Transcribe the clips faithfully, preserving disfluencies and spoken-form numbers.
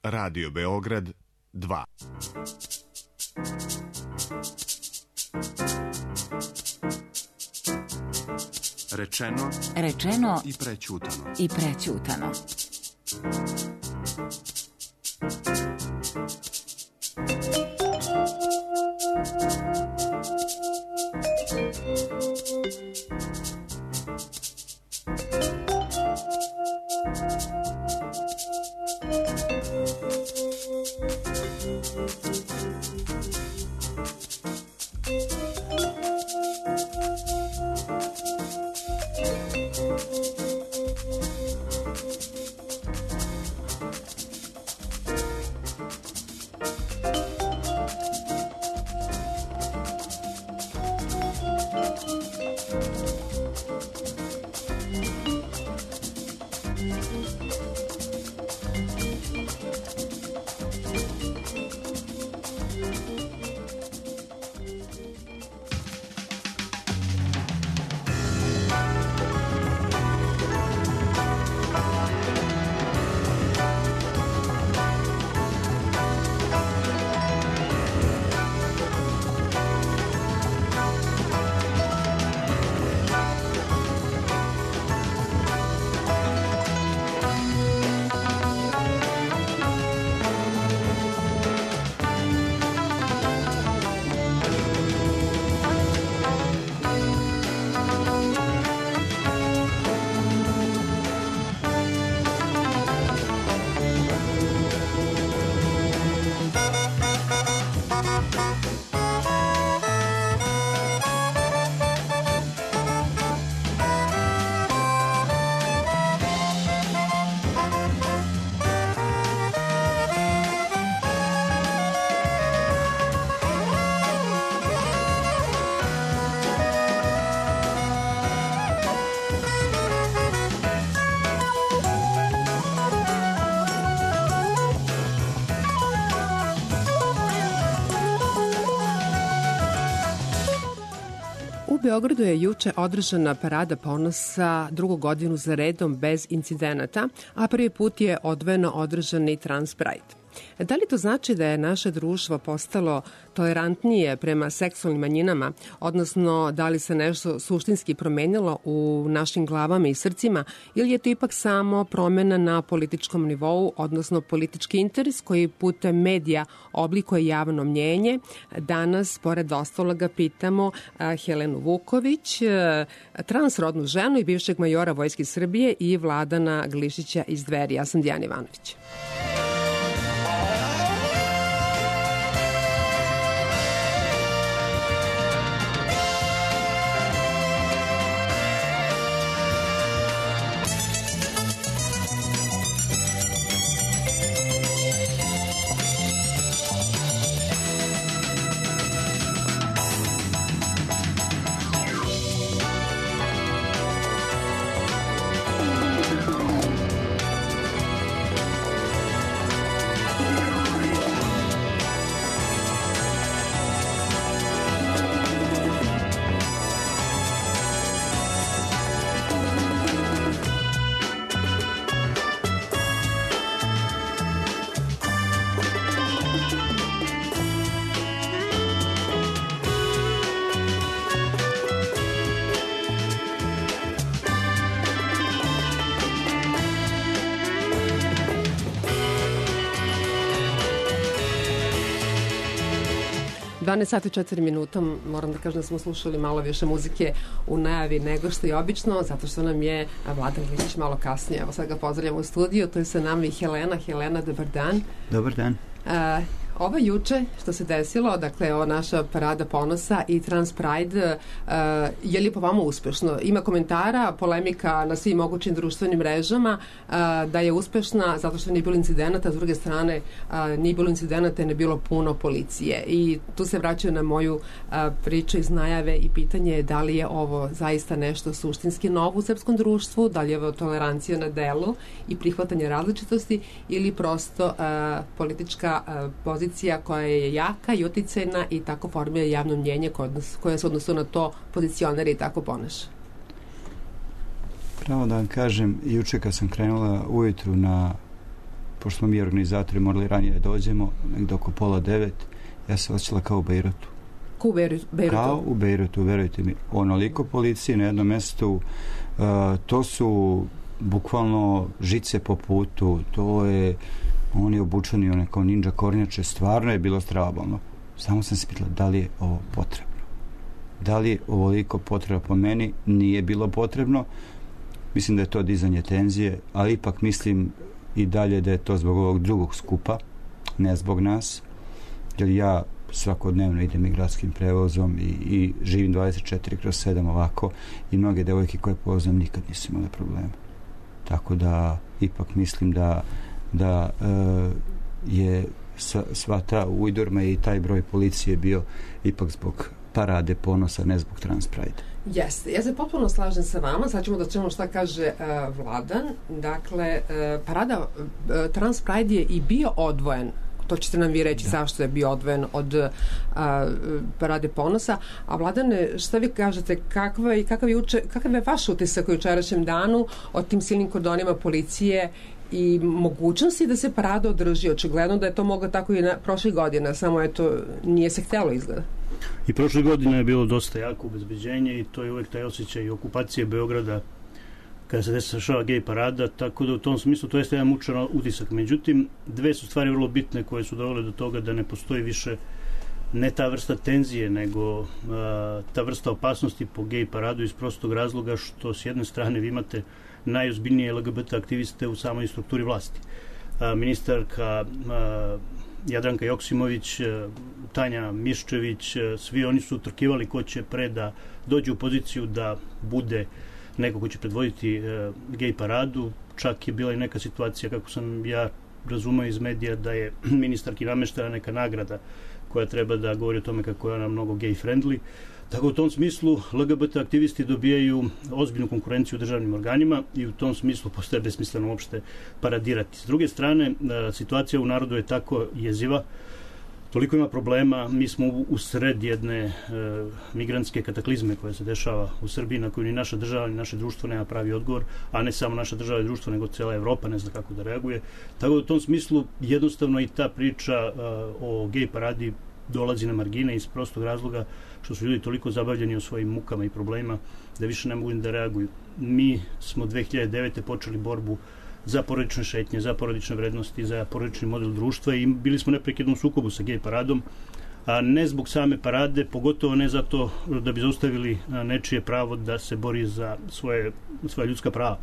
Radio Beograd dva. Rečeno, rečeno i prećutano. I prećutano. U Beogradu je juče održana Parada ponosa drugu godinu za redom bez incidenata, a prvi put je odvojeno održan i Trans Pride. Da li to znači da je naše društvo postalo tolerantnije prema seksualnim manjinama, odnosno da li se nešto suštinski promenilo u našim glavama i srcima, ili je to ipak samo promena na političkom nivou, odnosno politički interes koji putem medija oblikuje javno mnjenje? Danas, pored ostaloga, pitamo Helenu Vuković, transrodnu ženu i bivšeg majora Vojske Srbije, i Vladana Glišića iz Dveri. Ja sam Dijana Ivanović. dvanaest sati i četiri minuta, moram da kažem da smo slušali malo više muzike u najavi nego što je obično, zato što nam je Vladan Glišić malo kasnije. Evo sad ga pozdravljamo u studiju, to je sa nama i Helena. Helena, dobar dan. Dobar dan. Uh, Ovo juče što se desilo, dakle ova naša Parada ponosa i Trans Pride, uh, je li po vama uspešno? Ima komentara, polemika na svim mogućim društvenim mrežama uh, da je uspešna zato što nije bilo incidenata, s druge strane uh, nije bilo incidenata i ne bilo puno policije. I tu se vraćaju na moju uh, priču iz najave i pitanje je da li je ovo zaista nešto suštinski novo u srpskom društvu, da li je ovo tolerancija na delu i prihvatanje različitosti ili prosto uh, politička uh, pozicija koja je jaka i uticajna i tako formira javno mnjenje koje se odnosu na to pozicionira i tako ponaša. Pravo da vam kažem, juče kad sam krenula ujutru na pošto smo mi organizatori morali ranije da dođemo, negdje oko pola devet, ja se osjećala kao u Bejrutu. Kao u Bejrutu? Kao u Bejrutu, verujte mi. Onoliko policije na jednom mjestu, uh, to su bukvalno žice po putu, to je, oni obučeni one kao ninja kornjače, stvarno je bilo strabalno. Samo sam se pitala da li je ovo potrebno. Da li je ovoliko potrebno po meni? Nije bilo potrebno. Mislim da je to dizanje tenzije, ali ipak mislim i dalje da je to zbog ovog drugog skupa, ne zbog nas, jer ja svakodnevno idem i gradskim prevozom i, i živim dvadeset četiri kroz sedam ovako i mnoge devojke koje poznam nikad nisu imale problema. Tako da ipak mislim da, da e, je sva, sva ta ujdurma i taj broj policije bio ipak zbog parade ponosa, ne zbog Trans Pride. Jeste, ja se potpuno slažem sa vama, sad ćemo da čujemo šta kaže uh, Vladan. Dakle, uh, parada uh, Trans Pride je i bio odvojen, to ćete nam vi reći da. Zašto je bio odvojen od uh, parade ponosa. A Vladane, šta vi kažete, kakva, kakav, je uče, kakav je vaš utisak u jučerašnjem danu o tim silnim kordonima policije i mogućnosti da se parada održi? Očigledno da je to moglo tako i na prošlih godina, samo je to nije se htjelo izgleda. I prošle godine je bilo dosta jako obezbeđenje i to je uvijek taj osjećaj okupacije Beograda kada se dešava gej parada, tako da u tom smislu to jeste jedan mučan utisak. Međutim, dve su stvari vrlo bitne koje su dovele do toga da ne postoji više ne ta vrsta tenzije, nego a, ta vrsta opasnosti po gej paradu iz prostog razloga što s jedne strane vi imate najozbiljnije L G B T aktiviste u samoj strukturi vlasti. A, ministarka a, Jadranka Joksimović, Tanja Miščević, svi oni su utrkivali ko će pre da dođe u poziciju da bude neko ko će predvoditi e, gej paradu. Čak je bila i neka situacija, kako sam ja razumeo iz medija, da je ministarki nameštena neka nagrada koja treba da govori o tome kako je ona mnogo gej friendly. Tako u tom smislu L G B T aktivisti dobijaju ozbiljnu konkurenciju u državnim organima i u tom smislu postaje besmisleno uopšte paradirati. S druge strane, situacija u narodu je tako jeziva, toliko ima problema, mi smo u, u sred jedne e, migrantske kataklizme koja se dešava u Srbiji, na koju ni naša država, ni naše društvo nema pravi odgovor, a ne samo naša država i društvo, nego cijela Evropa ne zna kako da reaguje. Tako da u tom smislu jednostavno i ta priča e, o gej paradi dolazi na margine iz prostog razloga što su ljudi toliko zabavljeni o svojim mukama i problemima da više ne mogu da reaguju. Mi smo dve hiljade devete počeli borbu za porodične šetnje, za porodične vrednosti, za porodični model društva i bili smo neprekidno u sukobu sa gej paradom, a ne zbog same parade, pogotovo ne zato da bi zaustavili nečije pravo da se bori za svoje, svoje ljudska prava.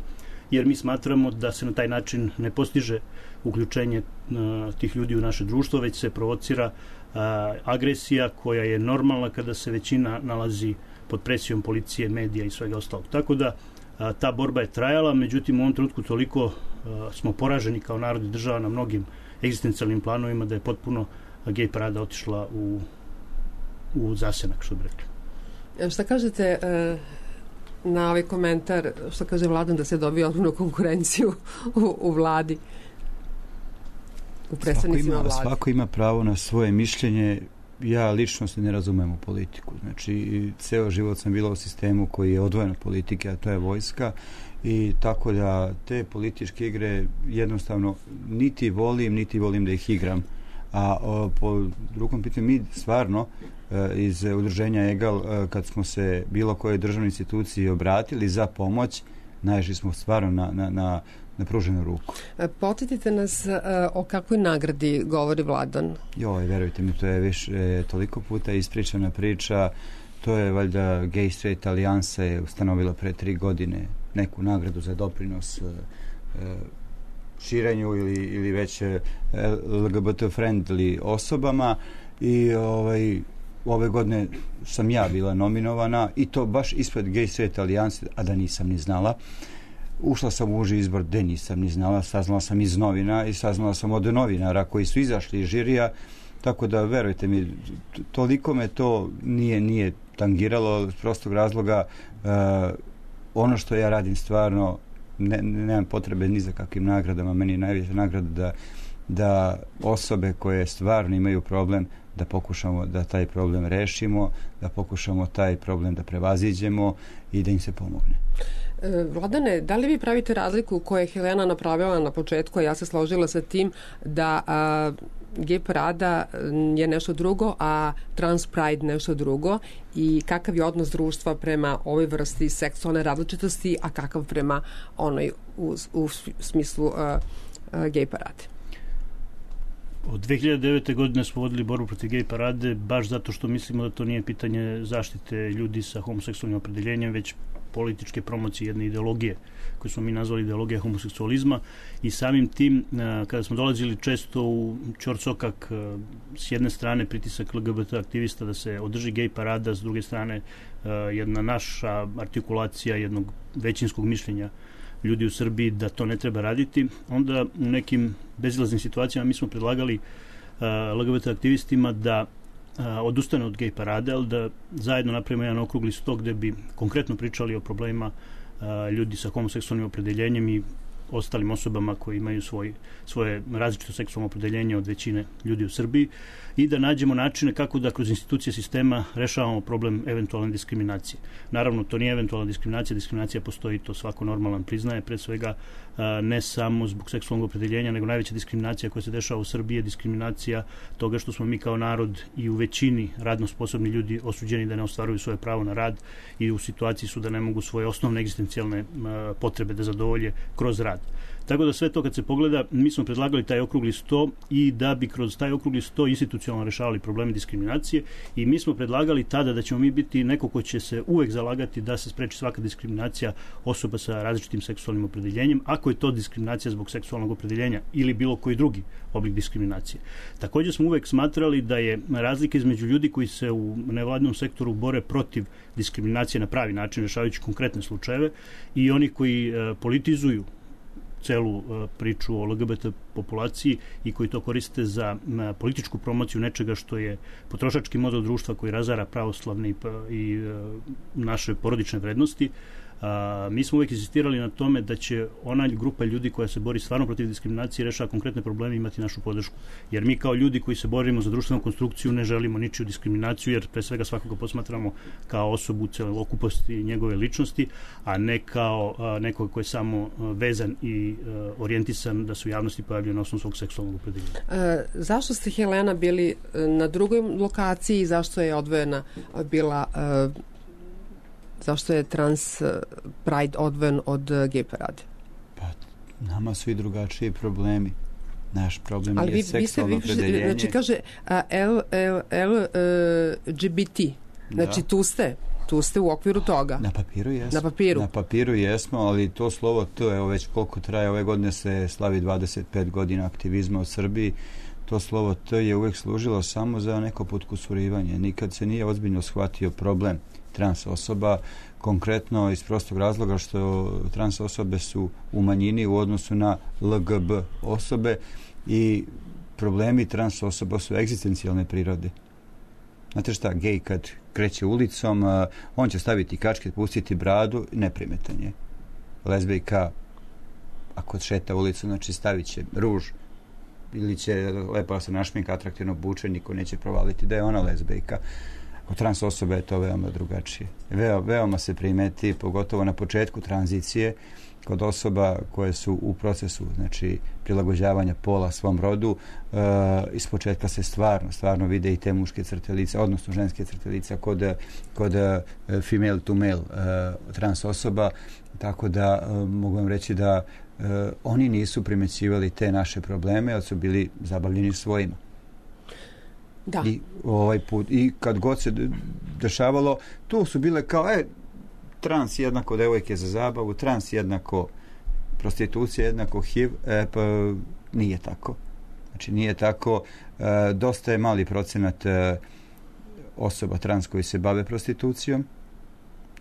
Jer mi smatramo da se na taj način ne postiže uključenje a, tih ljudi u naše društvo, već se provocira a, agresija koja je normalna kada se većina nalazi pod presijom policije, medija i svega ostalog. Tako da a, ta borba je trajala, međutim u ovom trenutku toliko a, smo poraženi kao narod i država na mnogim egzistencijalnim planovima da je potpuno a, gej parada otišla u, u zasenak, što bi rekli. Šta kažete e, na ovaj komentar, što kaže Vladan, da se dobije ozbiljnu konkurenciju u, u vladi? U predstavnicima svako ima, vlade. Svako ima pravo na svoje mišljenje. Ja lično se ne razumem u politiku. Znači, ceo život sam bila u sistemu koji je odvojen od politike, a to je vojska. I tako da te političke igre jednostavno niti volim, niti volim da ih igram. A o, po drugom pitanju, mi stvarno e, iz udruženja Egal, e, kad smo se bilo koje državne institucije obratili za pomoć, naišli smo stvarno na, na, na, na pruženu ruku. Podsjetite nas e, o kakvoj nagradi govori Vladan? Joj, verujte mi, to je više e, toliko puta ispričana priča. To je valjda Gay Straight Alijansa je ustanovila pre tri godine neku nagradu za doprinos e, e, širenju ili, ili već L G B T friendly osobama i ovaj, ove godine sam ja bila nominovana i to baš ispred Gay Straight Alijanse, a da nisam ni znala. Ušla sam u uži izbor gde nisam ni znala, saznala sam iz novina i saznala sam od novinara koji su izašli iz žirija, tako da verujte mi, toliko me to nije, nije tangiralo iz prostog razloga. Uh, ono što ja radim stvarno Ne, nemam potrebe ni za kakvim nagradama, meni je najveća nagrada da, da osobe koje stvarno imaju problem, da pokušamo da taj problem rešimo, da pokušamo taj problem da prevaziđemo i da im se pomogne. Vladane, da li vi pravite razliku koju je Helena napravila na početku, a ja se složila sa tim da a, gej parada je nešto drugo, a trans pride nešto drugo, i kakav je odnos društva prema ovoj vrsti seksualne različitosti, a kakav prema onoj u, u smislu a, a, gej parade? Od dve hiljade devete. godine smo vodili borbu protiv gej parade baš zato što mislimo da to nije pitanje zaštite ljudi sa homoseksualnim opredeljenjem, već političke promocije jedne ideologije koju smo mi nazvali ideologija homoseksualizma, i samim tim kada smo dolazili često u ćorsokak, s jedne strane pritisak L G B T aktivista da se održi gej parada, s druge strane jedna naša artikulacija jednog većinskog mišljenja ljudi u Srbiji da to ne treba raditi, onda u nekim bezilaznim situacijama mi smo predlagali L G B T aktivistima da odustane od gej parade, ali da zajedno napravimo jedan okrugli sto gde bi konkretno pričali o problemima ljudi sa homoseksualnim opredeljenjem i ostalim osobama koji imaju svoj, svoje različito seksualno opredeljenje od većine ljudi u Srbiji, i da nađemo načine kako da kroz institucije sistema rešavamo problem eventualne diskriminacije. Naravno, to nije eventualna diskriminacija, diskriminacija postoji, to svako normalan priznaje, pre svega ne samo zbog seksualnog opredeljenja, nego najveća diskriminacija koja se dešava u Srbiji je diskriminacija toga što smo mi kao narod i u većini radno sposobni ljudi osuđeni da ne ostvaruju svoje pravo na rad i u situaciji su da ne mogu svoje osnovne egzistencijalne potrebe da zadovolje kroz rad. Tako da sve to kad se pogleda, mi smo predlagali taj okrugli sto i da bi kroz taj okrugli sto institucionalno rešavali probleme diskriminacije, i mi smo predlagali tada da ćemo mi biti neko ko će se uvek zalagati da se spreči svaka diskriminacija osoba sa različitim seksualnim opredeljenjem, ako je to diskriminacija zbog seksualnog opredeljenja ili bilo koji drugi oblik diskriminacije. Također smo uvek smatrali da je razlika između ljudi koji se u nevladinom sektoru bore protiv diskriminacije na pravi način, rešavajući konkretne slučajeve, i oni koji uh, politizuju celu uh, priču o L G B T populaciji i koji to koriste za uh, političku promociju nečega što je potrošački model društva koji razara pravoslavne i, i uh, naše porodične vrednosti. A, mi smo uvijek insistirali na tome da će ona grupa ljudi koja se bori stvarno protiv diskriminacije i rešava konkretne probleme imati našu podršku. Jer mi kao ljudi koji se borimo za društvenu konstrukciju ne želimo ničiju diskriminaciju, jer pre svega svakoga posmatramo kao osobu celokupnosti njegove ličnosti, a ne kao a, nekog koji je samo a, vezan i a, orijentisan da se u javnosti pojavljuje na osnovu svog seksualnog opredeljenja. E, zašto ste, Helena, bili na drugoj lokaciji i zašto je odvojena bila e, zašto je trans pride odvojen od gej parade? Pa, nama su i drugačiji problemi. Naš problem ali je vi, seksualno vi ste, opredeljenje. Znači, kaže a, L, L, L, L G B T. Znači, da. tu ste. Tu ste u okviru toga. Na papiru jesmo. Na papiru. Na papiru jesmo, ali to slovo T, evo već koliko traje, ove godine se slavi dvadeset pet godina aktivizma u Srbiji. To slovo T je uvek služilo samo za neko potkusurivanje. Nikad se nije ozbiljno shvatio problem trans osoba, konkretno iz prostog razloga što trans osobe su u manjini u odnosu na L G B osobe, i problemi trans osoba su egzistencijalne prirode. Znate šta, gej kad kreće ulicom, on će staviti kačket, pustiti bradu, neprimetan je. Lezbijka, ako šeta ulicom, znači stavit će ruž ili će lepo se našminka, atraktivno obučen, niko neće provaliti da je ona lezbijka. Kod trans osobe je to veoma drugačije. Veo, veoma se primeti, pogotovo na početku tranzicije, kod osoba koje su u procesu, znači, prilagođavanja pola svom rodu, e, iz početka se stvarno, stvarno vide i te muške crte lica, odnosno ženske crte lica kod, kod e, female to male e, trans osoba, tako da e, mogu vam reći da e, oni nisu primećivali te naše probleme, ali su bili zabavljeni svojima. Da. I ovaj put, i kad god se dešavalo, tu su bile kao, e, trans jednako devojke za zabavu, trans jednako prostitucija, jednako H I V, e, pa nije tako. Znači nije tako, e, dosta je mali procenat e, osoba trans koji se bave prostitucijom,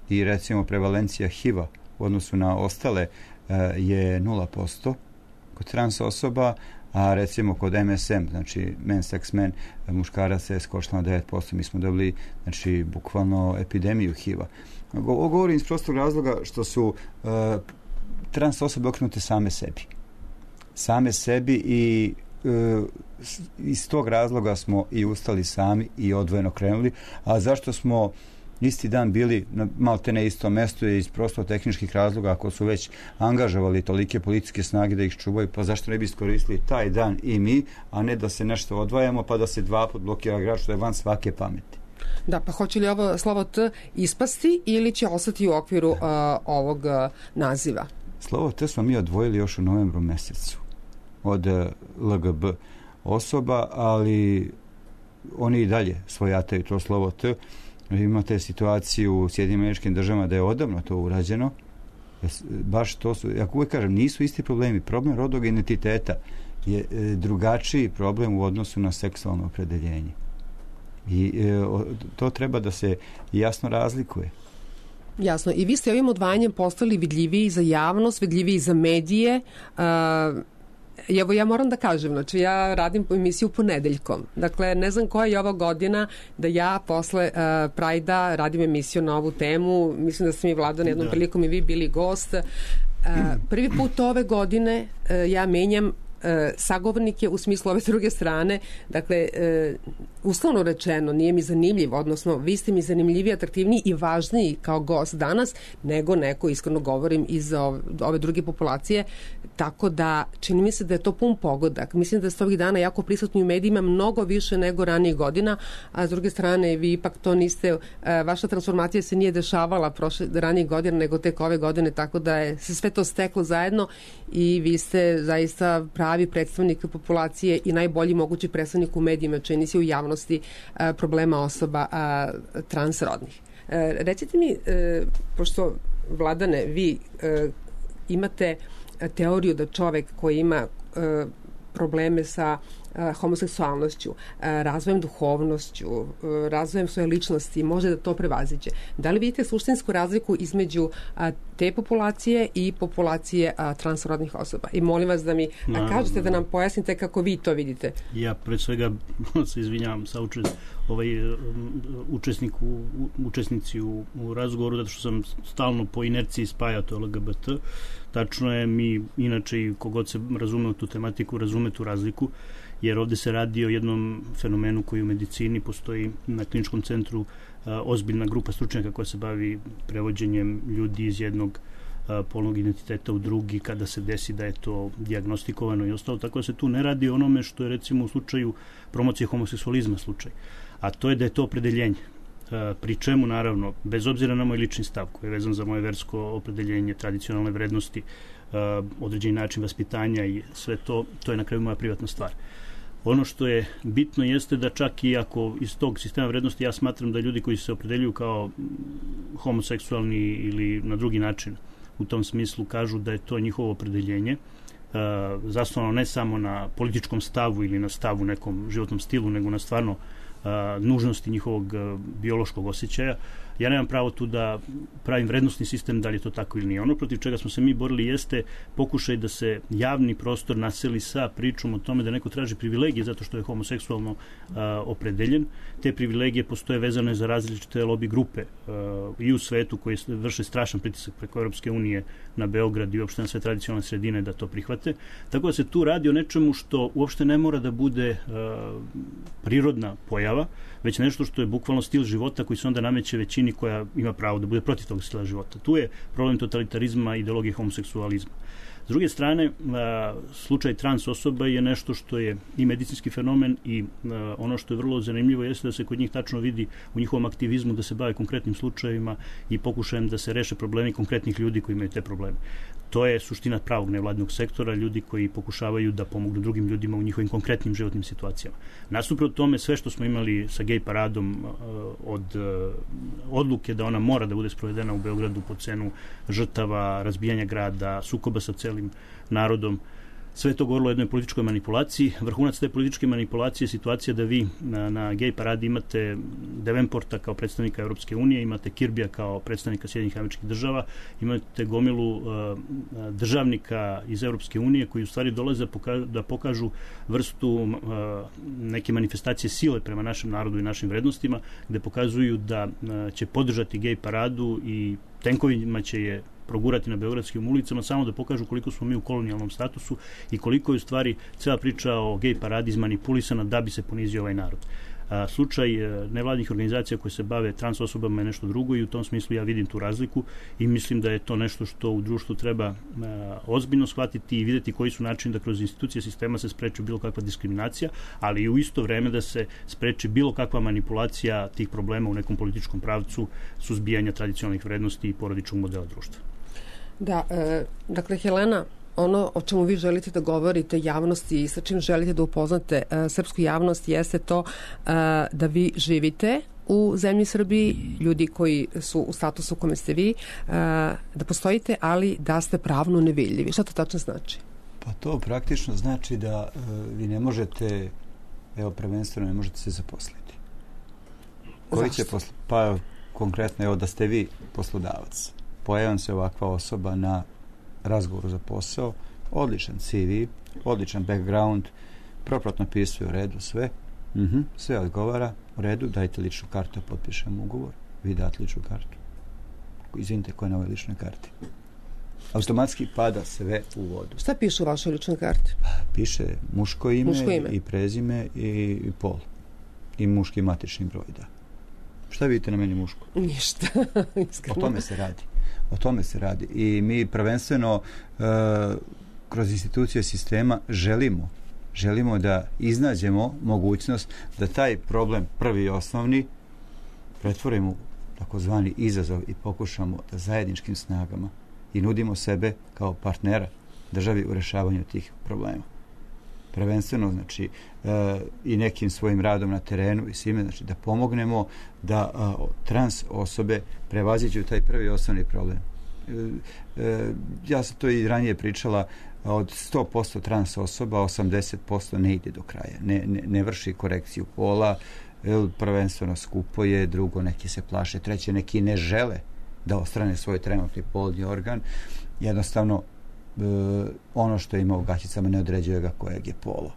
i recimo prevalencija H I V-a u odnosu na ostale e, je nula posto kod trans osoba, a recimo kod M S M, znači men, sex, men, muškaraca je skočila na devet posto. Mi smo dobili, znači, bukvalno epidemiju H I V-a. Ovo govorim iz prostog razloga što su uh, trans osobe okrenute same sebi. Same sebi i uh, iz tog razloga smo i ustali sami i odvojeno krenuli. A zašto smo isti dan bili na malte ne istom mestu iz prosto tehničkih razloga, ako su već angažovali tolike policijske snage da ih čuvaju, pa zašto ne bi iskoristili taj dan i mi, a ne da se nešto odvajamo pa da se dva put blokira grad, što je van svake pameti. Da, pa hoće li ovo slovo T ispasti ili će ostati u okviru uh, ovog uh, naziva? Slovo T smo mi odvojili još u novembru mesecu od uh, L G B osoba, ali oni i dalje svojataju to slovo T. Imate situaciju u Sjedinim Američkim Državama da je odavno to urađeno. Baš to su, ja uvijek kažem, nisu isti problemi. Problem rodnog identiteta je e, drugačiji problem u odnosu na seksualno opredeljenje. I e, to treba da se jasno razlikuje. Jasno. I vi ste ovim odvajanjem postali vidljiviji za javnost, vidljiviji za medije. Uh, Evo, ja moram da kažem, znači ja radim emisiju ponedeljkom. Dakle, ne znam koja je ova godina da ja posle uh, Prajda radim emisiju na ovu temu. Mislim da sam i Vladan jednom da. prilikom i vi bili gost. Uh, prvi put ove godine uh, ja menjam E, sagovornike u smislu ove druge strane. Dakle, e, uslovno rečeno nije mi zanimljiv, odnosno vi ste mi zanimljiviji, atraktivniji i važniji kao gost danas nego neko, iskreno govorim, iz ove, ove druge populacije, tako da čini mi se da je to pun pogodak. Mislim da ste ovih dana jako prisutni u medijima mnogo više nego ranijih godina, a s druge strane vi ipak to niste, e, vaša transformacija se nije dešavala prošle ranijih godina nego tek ove godine, tako da je se sve to steklo zajedno i vi ste zaista pravi predstavnik populacije i najbolji mogući predstavnik u medijima, čini se u javnosti a, problema osoba a, transrodnih. E, recite mi, e, pošto Vladane, vi e, imate teoriju da čovek koji ima e, probleme sa a, homoseksualnošću, a, razvojem duhovnošću, a, razvojem svoje ličnosti, može da to prevaziđe. Da li vidite suštinsku razliku između a, te populacije i populacije a, transrodnih osoba? I molim vas da mi a, kažete, da nam pojasnite kako vi to vidite. Ja pred svega se izvinjavam sa učest, ovaj, učesnik u, učesnici u, u razgovoru, zato što sam stalno po inerciji spajao to L G B T. Tačno je, mi inače i kogod se razume u tu tematiku, razume tu razliku, jer ovde se radi o jednom fenomenu koji u medicini postoji na kliničkom centru a, ozbiljna grupa stručnjaka koja se bavi prevođenjem ljudi iz jednog a, polnog identiteta u drugi kada se desi da je to dijagnostikovano i ostalo, tako da se tu ne radi o onome što je recimo u slučaju promocije homoseksualizma slučaj, a to je da je to opredeljenje. Pri čemu, naravno, bez obzira na moj lični stav koji je vezan za moje versko opredeljenje, tradicionalne vrednosti, određeni način vaspitanja i sve to, to je na kraju moja privatna stvar. Ono što je bitno jeste da čak i ako iz tog sistema vrednosti ja smatram da ljudi koji se opredeljuju kao homoseksualni ili na drugi način u tom smislu kažu da je to njihovo opredeljenje, zasnovano ne samo na političkom stavu ili na stavu nekom životnom stilu, nego na stvarno a, nužnosti njihovog a, biološkog osjećaja. Ja nemam pravo tu da pravim vrednostni sistem da li je to tako ili nije. Ono protiv čega smo se mi borili jeste pokušaj da se javni prostor naseli sa pričom o tome da neko traži privilegije zato što je homoseksualno a, opredeljen. Te privilegije postoje vezane za različite lobby grupe a, i u svetu koji vrše strašan pritisak preko Europske unije na Beograd i uopšte na sve tradicionalne sredine da to prihvate. Tako da se tu radi o nečemu što uopšte ne mora da bude a, prirodna pojava, već nešto što je bukvalno stil života koji se onda nameće većini koja ima pravo da bude protiv tog stila života. Tu je problem totalitarizma i ideologije homoseksualizma. S druge strane, a, slučaj trans osoba je nešto što je i medicinski fenomen i a, ono što je vrlo zanimljivo jeste da se kod njih tačno vidi u njihovom aktivizmu da se bave konkretnim slučajevima i pokušajem da se reše problemi konkretnih ljudi koji imaju te probleme. To je suština pravog nevladnog sektora, ljudi koji pokušavaju da pomognu drugim ljudima u njihovim konkretnim životnim situacijama. Nasuprot tome, sve što smo imali sa gej paradom od odluke da ona mora da bude sprovedena u Beogradu po cenu žrtava, razbijanja grada, sukoba sa celim narodom, sve to govorilo o jednoj političkoj manipulaciji. Vrhunac te političke manipulacije je situacija da vi na, na gej paradi imate Davenporta kao predstavnika Europske unije, imate Kirbija kao predstavnika Sjedinjenih Američkih Država, imate gomilu uh, državnika iz Europske unije koji u stvari dolaze da pokažu, da pokažu vrstu uh, neke manifestacije sile prema našem narodu i našim vrednostima, gde pokazuju da uh, će podržati gej paradu i tenkovima će je progurati na beogradskim ulicama samo da pokažu koliko smo mi u kolonijalnom statusu i koliko je u stvari cela priča o gej paradi izmanipulisana da bi se ponizio ovaj narod. A, slučaj nevladnih organizacija koje se bave trans osobama je nešto drugo i u tom smislu ja vidim tu razliku i mislim da je to nešto što u društvu treba a, ozbiljno shvatiti i vidjeti koji su načini da kroz institucije sistema se spreči bilo kakva diskriminacija, ali i u isto vreme da se spreči bilo kakva manipulacija tih problema u nekom političkom pravcu suzbijanja tradicionalnih vrednosti i porodičnog modela društva. Da, e, dakle, Helena, ono o čemu vi želite da govorite javnosti i sa čim želite da upoznate e, srpsku javnost jeste to e, da vi živite u zemlji Srbiji, ljudi koji su u statusu u kome ste vi, e, da postojite, ali da ste pravno nevidljivi. Šta to tačno znači? Pa to praktično znači da e, vi ne možete, evo prvenstveno ne možete se zaposliti. Koji će posl... Pa konkretno evo da ste vi poslodavac. Pojavim se ovakva osoba na razgovoru za posao, odličan C V, odličan background, propratno pisuje u redu sve, uh-huh, sve odgovara, u redu, dajte ličnu kartu, potpišem ugovor, vi date ličnu kartu. Izvinite, ko je na ovoj ličnoj karti? Automatski pada sve u vodu. Šta piše u vašoj ličnoj karti? Piše muško ime, muško ime. i prezime i, i pol. I muški matični broj, da. Šta vidite na meni muško? Ništa. O tome se radi. O tome se radi. I mi prvenstveno e, kroz institucije sistema želimo, želimo da iznađemo mogućnost da taj problem prvi i osnovni pretvorimo u takozvani izazov i pokušamo da zajedničkim snagama i nudimo sebe kao partnera državi u rešavanju tih problema. Prvenstveno, znači, e, i nekim svojim radom na terenu i svime, znači, da pomognemo da a, trans osobe prevaziđu taj prvi osnovni problem. E, e, ja sam to i ranije pričala, od sto posto trans osoba, osamdeset posto ne ide do kraja. Ne, ne, ne vrši korekciju pola, e, prvenstveno skupo je, drugo neki se plaše, treće neki ne žele da ostrane svoj trenutni polni organ. Jednostavno, E, ono što ima u gaćicama ne određuje ga kojeg je polo.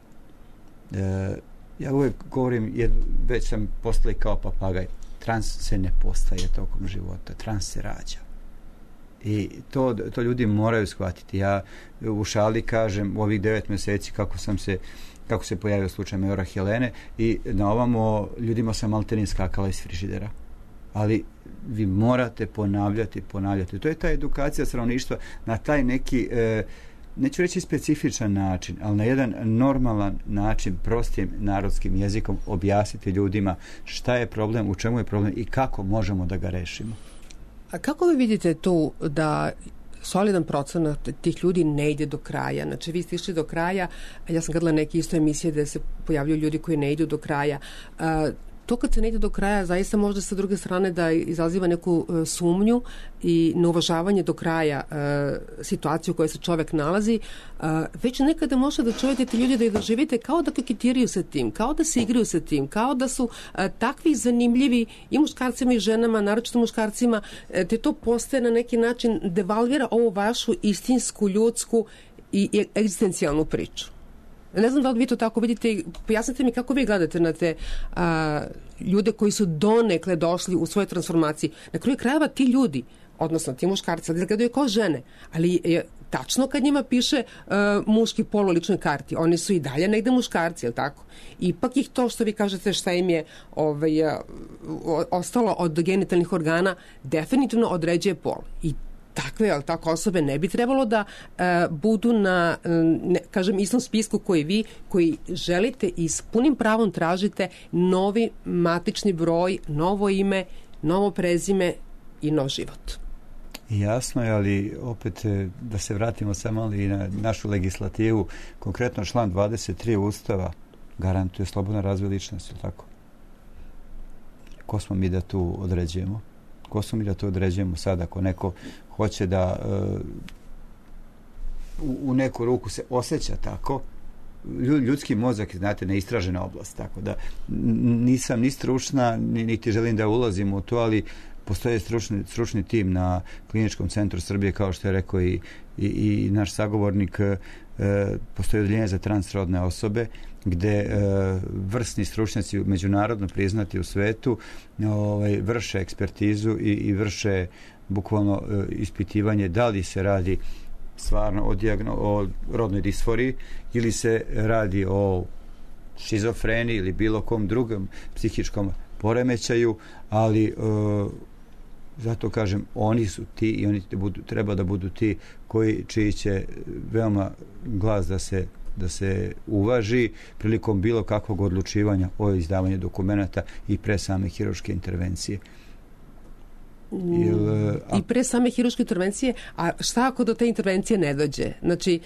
E, ja uvijek govorim, jer već sam postali kao papagaj, trans se ne postaje tokom života, trans se rađa. I to, to ljudi moraju shvatiti. Ja u šali kažem u ovih devet mjeseci kako sam se kako se pojavio slučaj majora Helene i na ovamo ljudima sam maltene skakala iz frižidera. Ali vi morate ponavljati, ponavljati. To je ta edukacija stanovništva na taj neki, e, neću reći specifičan način, ali na jedan normalan način, prostim narodskim jezikom objasniti ljudima šta je problem, u čemu je problem i kako možemo da ga rešimo. A kako vi vidite tu da solidan procenat tih ljudi ne ide do kraja? Znači, vi ste išli do kraja, a ja sam gledala neke isto emisije da se pojavljaju ljudi koji ne idu do kraja. A, to kad se ne ide do kraja, zaista možda sa druge strane da izaziva neku uh, sumnju i neuvažavanje do kraja uh, situaciju u kojoj se čovek nalazi, uh, već nekada može da čujete ti ljudi da ih doživite kao da koketiraju sa tim, kao da se igraju sa tim, kao da su uh, takvi zanimljivi i muškarcima i ženama, naročito muškarcima, uh, te to postaje na neki način devalvira ovu vašu istinsku, ljudsku i, i egzistencijalnu priču. Ne znam da li vi to tako vidite, pojasnite mi kako vi gledate na te a, ljude koji su donekle došli u svojoj transformaciji. Na kraju krajeva ti ljudi, odnosno ti muškarci, ali gledaju kao žene, ali je tačno kad njima piše a, muški pol u ličnoj karti, oni su i dalje negde muškarci, je li tako? Ipak ih to što vi kažete šta im je ovaj, a, ostalo od genitalnih organa definitivno određuje pol. I takve, ali tako osobe ne bi trebalo da uh, budu na, ne, kažem, istom spisku koji vi, koji želite i s punim pravom tražite novi matični broj, novo ime, novo prezime i nov život. Jasno je, ali opet da se vratimo samo i na našu legislativu, konkretno član dvadeset tri Ustava garantuje slobodan razvoj ličnosti, tako? Ko smo mi da tu određujemo? Ko smo mi da to određujemo sad ako neko hoće da uh, u, u neku ruku se osjeća tako, ljudski mozak, znate, neistražena oblast, tako da nisam ni stručna, niti želim da ulazim u to, ali postoje stručni, stručni tim na Kliničkom centru Srbije, kao što je rekao i, i, i naš sagovornik, e, postoje odeljenje za transrodne osobe, gde e, vrsni stručnjaci međunarodno priznati u svetu ovaj, vrše ekspertizu i, i vrše bukvalno e, ispitivanje da li se radi stvarno o, diagno, o rodnoj disforiji ili se radi o šizofreniji ili bilo kom drugom psihičkom poremećaju, ali e, zato kažem, oni su ti i oni budu, treba da budu ti koji, čiji će veoma glas da se da se uvaži prilikom bilo kakvog odlučivanja o izdavanju dokumenata i pre same hirurške intervencije. Jel, a... I pre same hirurške intervencije, a šta ako do te intervencije ne dođe? Znači,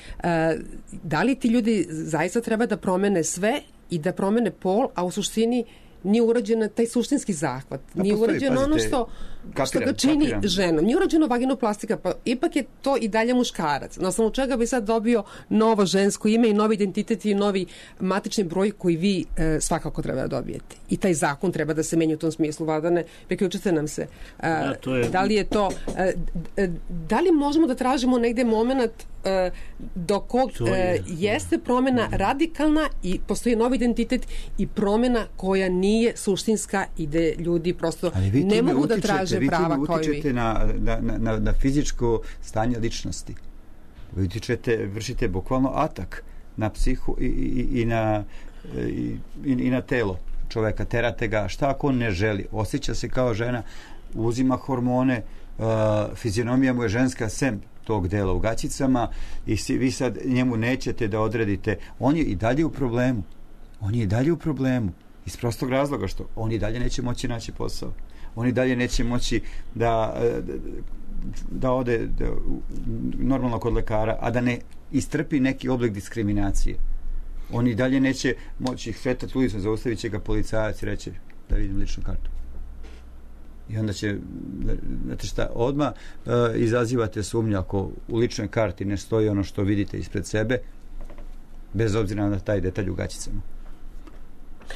da li ti ljudi zaista treba da promene sve i da promene pol, a u suštini nije urađen taj suštinski zahvat. Nije urađeno ono što, kapiram, što ga čini kapiram. ženom. Nije urađeno vaginoplastika, pa ipak je to i dalje muškarac. Na osnovu čega bi sad dobio novo žensko ime i novi identitet i novi matični broj koji vi e, svakako treba da dobijete. I taj zakon treba da se menja u tom smislu. Vladane, priključite nam se. E, da, to je... da li je to... E, da li možemo da tražimo negde moment e, do kog je, e, jeste promjena radikalna i postoji novi identitet i promjena koja nije nije suštinska i da ljudi prosto ne mogu utičete, da traže prava kao i vi. Vi utičete na, na, na, na fizičko stanje ličnosti. Vi utičete, vršite bukvalno atak na psihu i, i, i, na, i, i na telo čoveka. Terate ga. Šta ako on ne želi? Osjeća se kao žena, uzima hormone, uh, fizionomija mu je ženska sem tog dela u gaćicama i si, vi sad njemu nećete da odredite. On je i dalje u problemu. On je i dalje u problemu. Iz prostog razloga što oni dalje neće moći naći posao. Oni dalje neće moći da, da ode da, normalno kod lekara, a da ne istrpi neki oblik diskriminacije. Oni dalje neće moći hvetati ulicom, zaustavit će ga policajac i reći da vidim ličnu kartu. I onda će, znate šta, odmah uh, izazivate sumnju ako u ličnoj karti ne stoji ono što vidite ispred sebe, bez obzira na taj detalj u gaćicama.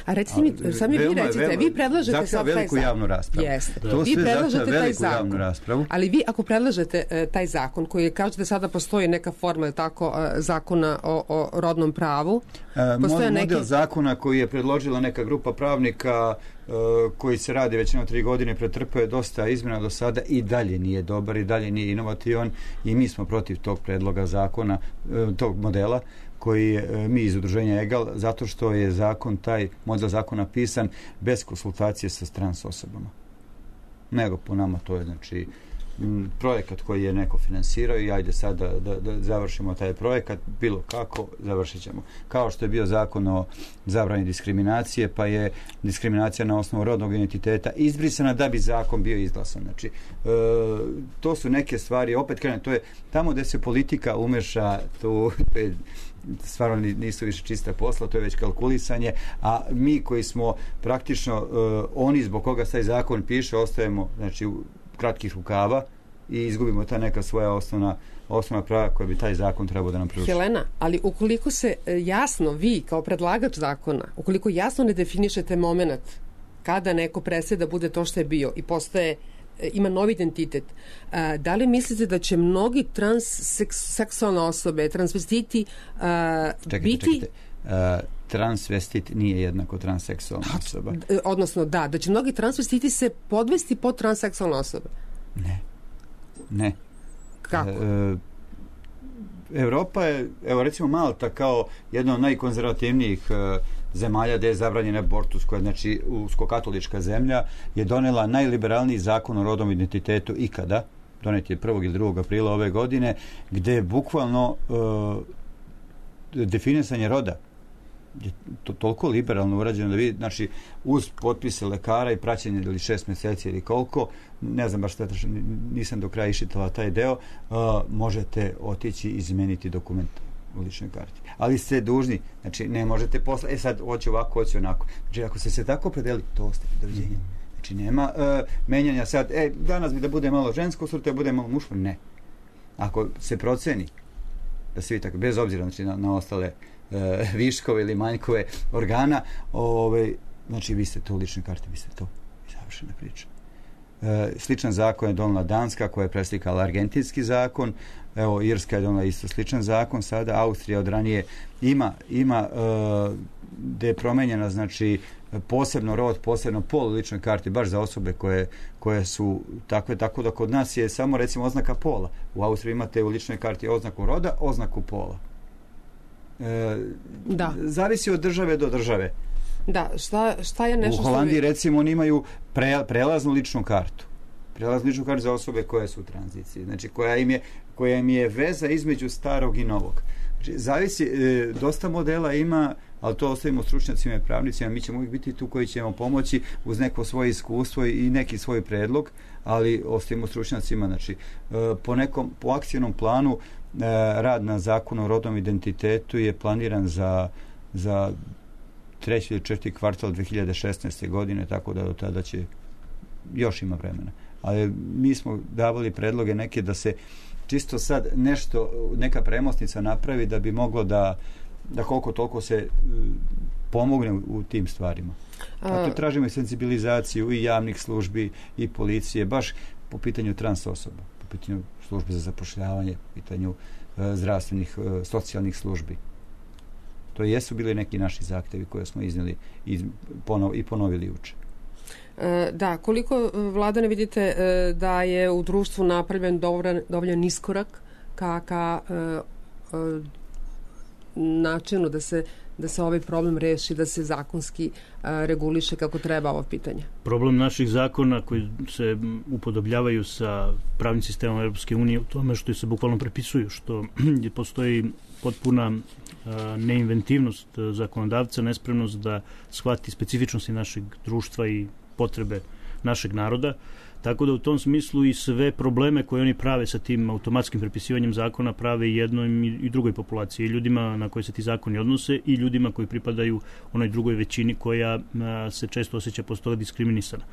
A recite mi, sami vi recite, veoma, vi predlažete sad taj zakon. Javnu raspravu. Jeste. To vi predlažete taj zakon. Raspravu. Ali vi ako predlažete uh, taj zakon koji kaže da sada postoji neka forma tako uh, zakona o, o rodnom pravu. E, model neki... zakona koji je predložila neka grupa pravnika uh, koji se radi već jedno tri godine, pretrpeo je dosta izmjena do sada i dalje nije dobar i dalje nije inovativan i mi smo protiv tog predloga zakona, uh, tog modela koji je, mi iz udruženja EGAL, zato što je zakon, taj model zakona pisan bez konsultacije sa trans osobama. Nego po nama to je, znači, m, projekat koji je neko finansirao i ajde sad da, da, da završimo taj projekat, bilo kako, završit ćemo. Kao što je bio zakon o zabrani diskriminacije, pa je diskriminacija na osnovu rodnog identiteta izbrisana da bi zakon bio izglasan. Znači, e, to su neke stvari, opet krenem, to je tamo gde se politika umeša, tu stvarno nisu više čista posla, to je već kalkulisanje, a mi koji smo praktično uh, oni zbog koga taj zakon piše, ostajemo, znači, u kratkih rukava i izgubimo ta neka svoja osnovna, osnovna prava koja bi taj zakon trebao da nam pruži. Helena, ali ukoliko se jasno, vi kao predlagač zakona, ukoliko jasno ne definišete moment kada neko prestaje da bude to što je bio i postaje ima novi identitet. A, da li mislite da će mnogi transseksualne osobe, transvestiti a, čekajte, biti... Čekajte. A, transvestit nije jednako transseksualna osoba. Odnosno, da, da će mnogi transvestiti se podvesti pod transseksualne osobe. Ne. Ne. Kako? E, Evropa je, evo recimo Malta kao jedna od najkonzervativnijih e, zemalja gde je zabranjen abortus, koja je, znači, uskokatolička zemlja, je donela najliberalniji zakon o rodnom identitetu ikada, donet je prvog ili drugog aprila ove godine, gde je bukvalno uh, definisanje roda je to toliko liberalno urađeno da vi, znači, uz potpise lekara i praćenje ili šest meseci ili koliko, ne znam baš šta, nisam do kraja iščitala taj deo, uh, možete otići i izmeniti dokument u ličnoj karti. Ali ste dužni, znači ne možete posle, e sad hoće ovako, hoće onako. Znači ako se se tako predeli, to ostaje, doviđenja. Znači nema uh, menjanja sad, e, danas bi da bude malo žensko, sutra da bude malo muško, ne. Ako se proceni da se vi tako, bez obzira, znači, na, na ostale uh, viškove ili manjkove organa, ovaj, znači vi ste to u ličnoj karti, vi ste to. I završena priča. Uh, sličan zakon je donela Danska, koja je preslikala argentinski zakon. Evo, Irska je donela isto sličan zakon sada, Austrija od ranije ima, ima uh, gde je promenjena, znači, posebno rod, posebno pol u ličnoj karti, baš za osobe koje, koje su takve, tako da kod nas je samo, recimo, oznaka pola. U Austriji imate u ličnoj karti oznaku roda, oznaku pola. E, da. Zavisi od države do države. Da, šta, šta je nešto... U Holandiji, što... recimo, oni imaju pre, prelaznu ličnu kartu. Prelaznu ličnu kartu za osobe koje su u tranziciji. Znači, koja im je, koja im je veza između starog i novog. Znači, zavisi, e, dosta modela ima, ali to ostavimo stručnjacima i pravnicima, mi ćemo uvijek biti tu koji ćemo pomoći uz neko svoje iskustvo i neki svoj predlog, ali ostavimo stručnjacima, znači, e, po nekom, po akcijnom planu e, rad na zakonu o rodnom identitetu je planiran za, za treći ili četvrti kvartal dve hiljade šesnaeste. godine, tako da do tada će još ima vremena. Ali mi smo davali predloge neke da se čisto sad nešto, neka premosnica napravi da bi moglo da, da koliko toliko se pomogne u tim stvarima. A tu tražimo i senzibilizaciju i javnih službi i policije, baš po pitanju trans osoba, po pitanju službe za zapošljavanje, po pitanju e, zdravstvenih, e, socijalnih službi. To jesu bili neki naši zahtevi koje smo iznijeli i, ponov, i ponovili juče. Da, koliko vlada ne vidite da je u društvu napravljen dovoljan, dovoljan iskorak ka, ka uh, načinu da se, da se ovaj problem reši, da se zakonski uh, reguliše kako treba ovo pitanje? Problem naših zakona koji se upodobljavaju sa pravnim sistemom Europske unije u tome što se bukvalno prepisuju, što postoji potpuna neinventivnost zakonodavca, nespremnost da shvati specifičnosti našeg društva i potrebe našeg naroda, tako da u tom smislu i sve probleme koje oni prave sa tim automatskim prepisivanjem zakona prave i jednoj i drugoj populaciji, i ljudima na koje se ti zakoni odnose i ljudima koji pripadaju onoj drugoj većini koja a, se često osjeća posle toga diskriminisana.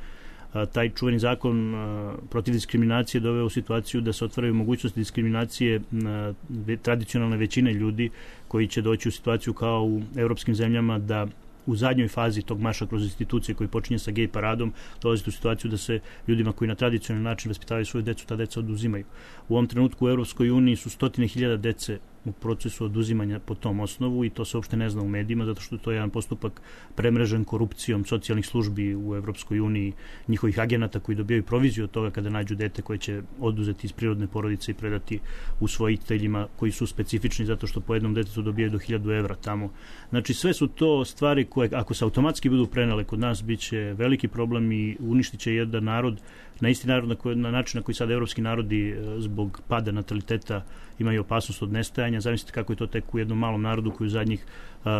A, taj čuveni zakon a, protiv diskriminacije doveo u situaciju da se otvaraju mogućnosti diskriminacije a, ve, tradicionalne većine ljudi koji će doći u situaciju kao u evropskim zemljama da u zadnjoj fazi tog marša kroz institucije koji počinje sa gej paradom dolazite u situaciju da se ljudima koji na tradicionalni način vaspitavaju svoju decu, ta deca oduzimaju. U ovom trenutku u Europskoj uniji su stotine hiljada dece u procesu oduzimanja po tom osnovu i to se uopšte ne zna u medijima zato što to je jedan postupak premrežen korupcijom socijalnih službi u Evropskoj uniji, njihovih agenata koji dobijaju proviziju od toga kada nađu dete koje će oduzeti iz prirodne porodice i predati usvojiteljima koji su specifični zato što po jednom detetu dobijaju do hiljadu evra tamo. Znači sve su to stvari koje ako se automatski budu prenele kod nas bit će veliki problem i uništit će jedan narod na isti narod na, koji, na način na koji sad evropski narodi zbog pada nataliteta imaju opasnost od nestajanja. Zamislite kako je to tek u jednom malom narodu koji u zadnjih uh,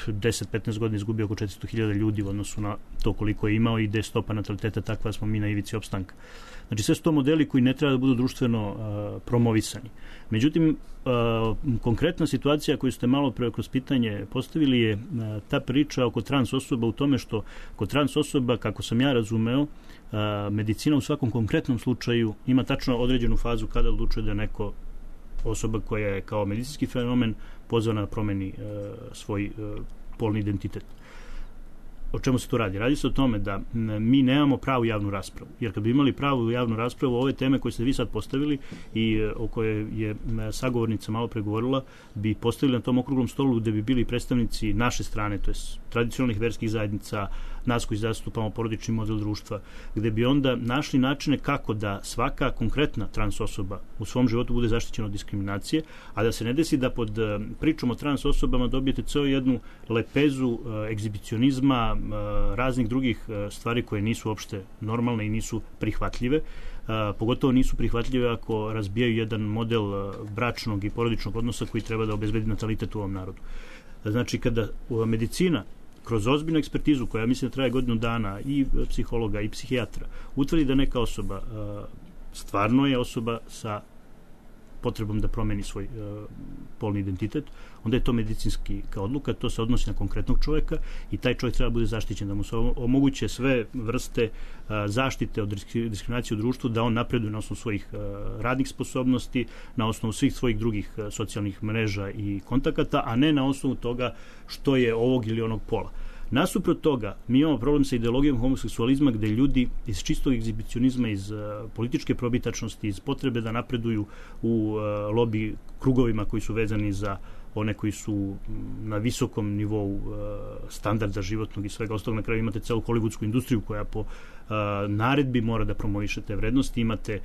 deset do petnaest godina izgubio oko četiristo hiljada ljudi u odnosu na to koliko je imao i gde je stopa nataliteta takva smo mi na ivici opstanka. Znači sve su to modeli koji ne treba da budu društveno uh, promovisani. Međutim, uh, konkretna situacija koju ste malo pre kroz pitanje postavili je uh, ta priča oko trans osoba u tome što kod trans osoba, kako sam ja razumeo, uh, medicina u svakom konkretnom slučaju ima tačno određenu fazu kada odlučuje da neko osoba koja je kao medicinski fenomen pozvana da promeni uh, svoj uh, polni identitet. O čemu se to radi? Radi se o tome da mi nemamo pravu javnu raspravu. Jer kad bi imali pravu javnu raspravu, ove teme koje ste vi sad postavili i o kojoj je sagovornica malo pregovorila, bi postavili na tom okruglom stolu gde bi bili predstavnici naše strane, to je tradicionalnih verskih zajednica, nas koji zastupamo porodični model društva, gde bi onda našli načine kako da svaka konkretna trans osoba u svom životu bude zaštićena od diskriminacije, a da se ne desi da pod pričom o trans osobama dobijete ceo jednu lepezu egzibicionizma, raznih drugih stvari koje nisu uopšte normalne i nisu prihvatljive. Pogotovo nisu prihvatljive ako razbijaju jedan model bračnog i porodičnog odnosa koji treba da obezbedi natalitet u ovom narodu. Znači, kada medicina kroz ozbiljnu ekspertizu, koja mislim da traje godinu dana, i psihologa i psihijatra, utvrdi da neka osoba stvarno je osoba sa potrebom da promeni svoj uh, polni identitet, onda je to medicinski kao odluka, to se odnosi na konkretnog čoveka i taj čovjek treba bude zaštićen, da mu se omoguće sve vrste uh, zaštite od diskriminacije u društvu, da on napreduje na osnovu svojih uh, radnih sposobnosti, na osnovu svih svojih drugih uh, socijalnih mreža i kontakata, a ne na osnovu toga što je ovog ili onog pola. Nasuprot toga, mi imamo problem sa ideologijom homoseksualizma gde ljudi iz čistog egzibicionizma, iz uh, političke probitačnosti, iz potrebe da napreduju u uh, lobi krugovima koji su vezani za one koji su na visokom nivou standarda životnog i svega ostalog. Na kraju imate celu hollywoodsku industriju koja po naredbi mora da promoviše te vrednosti, imate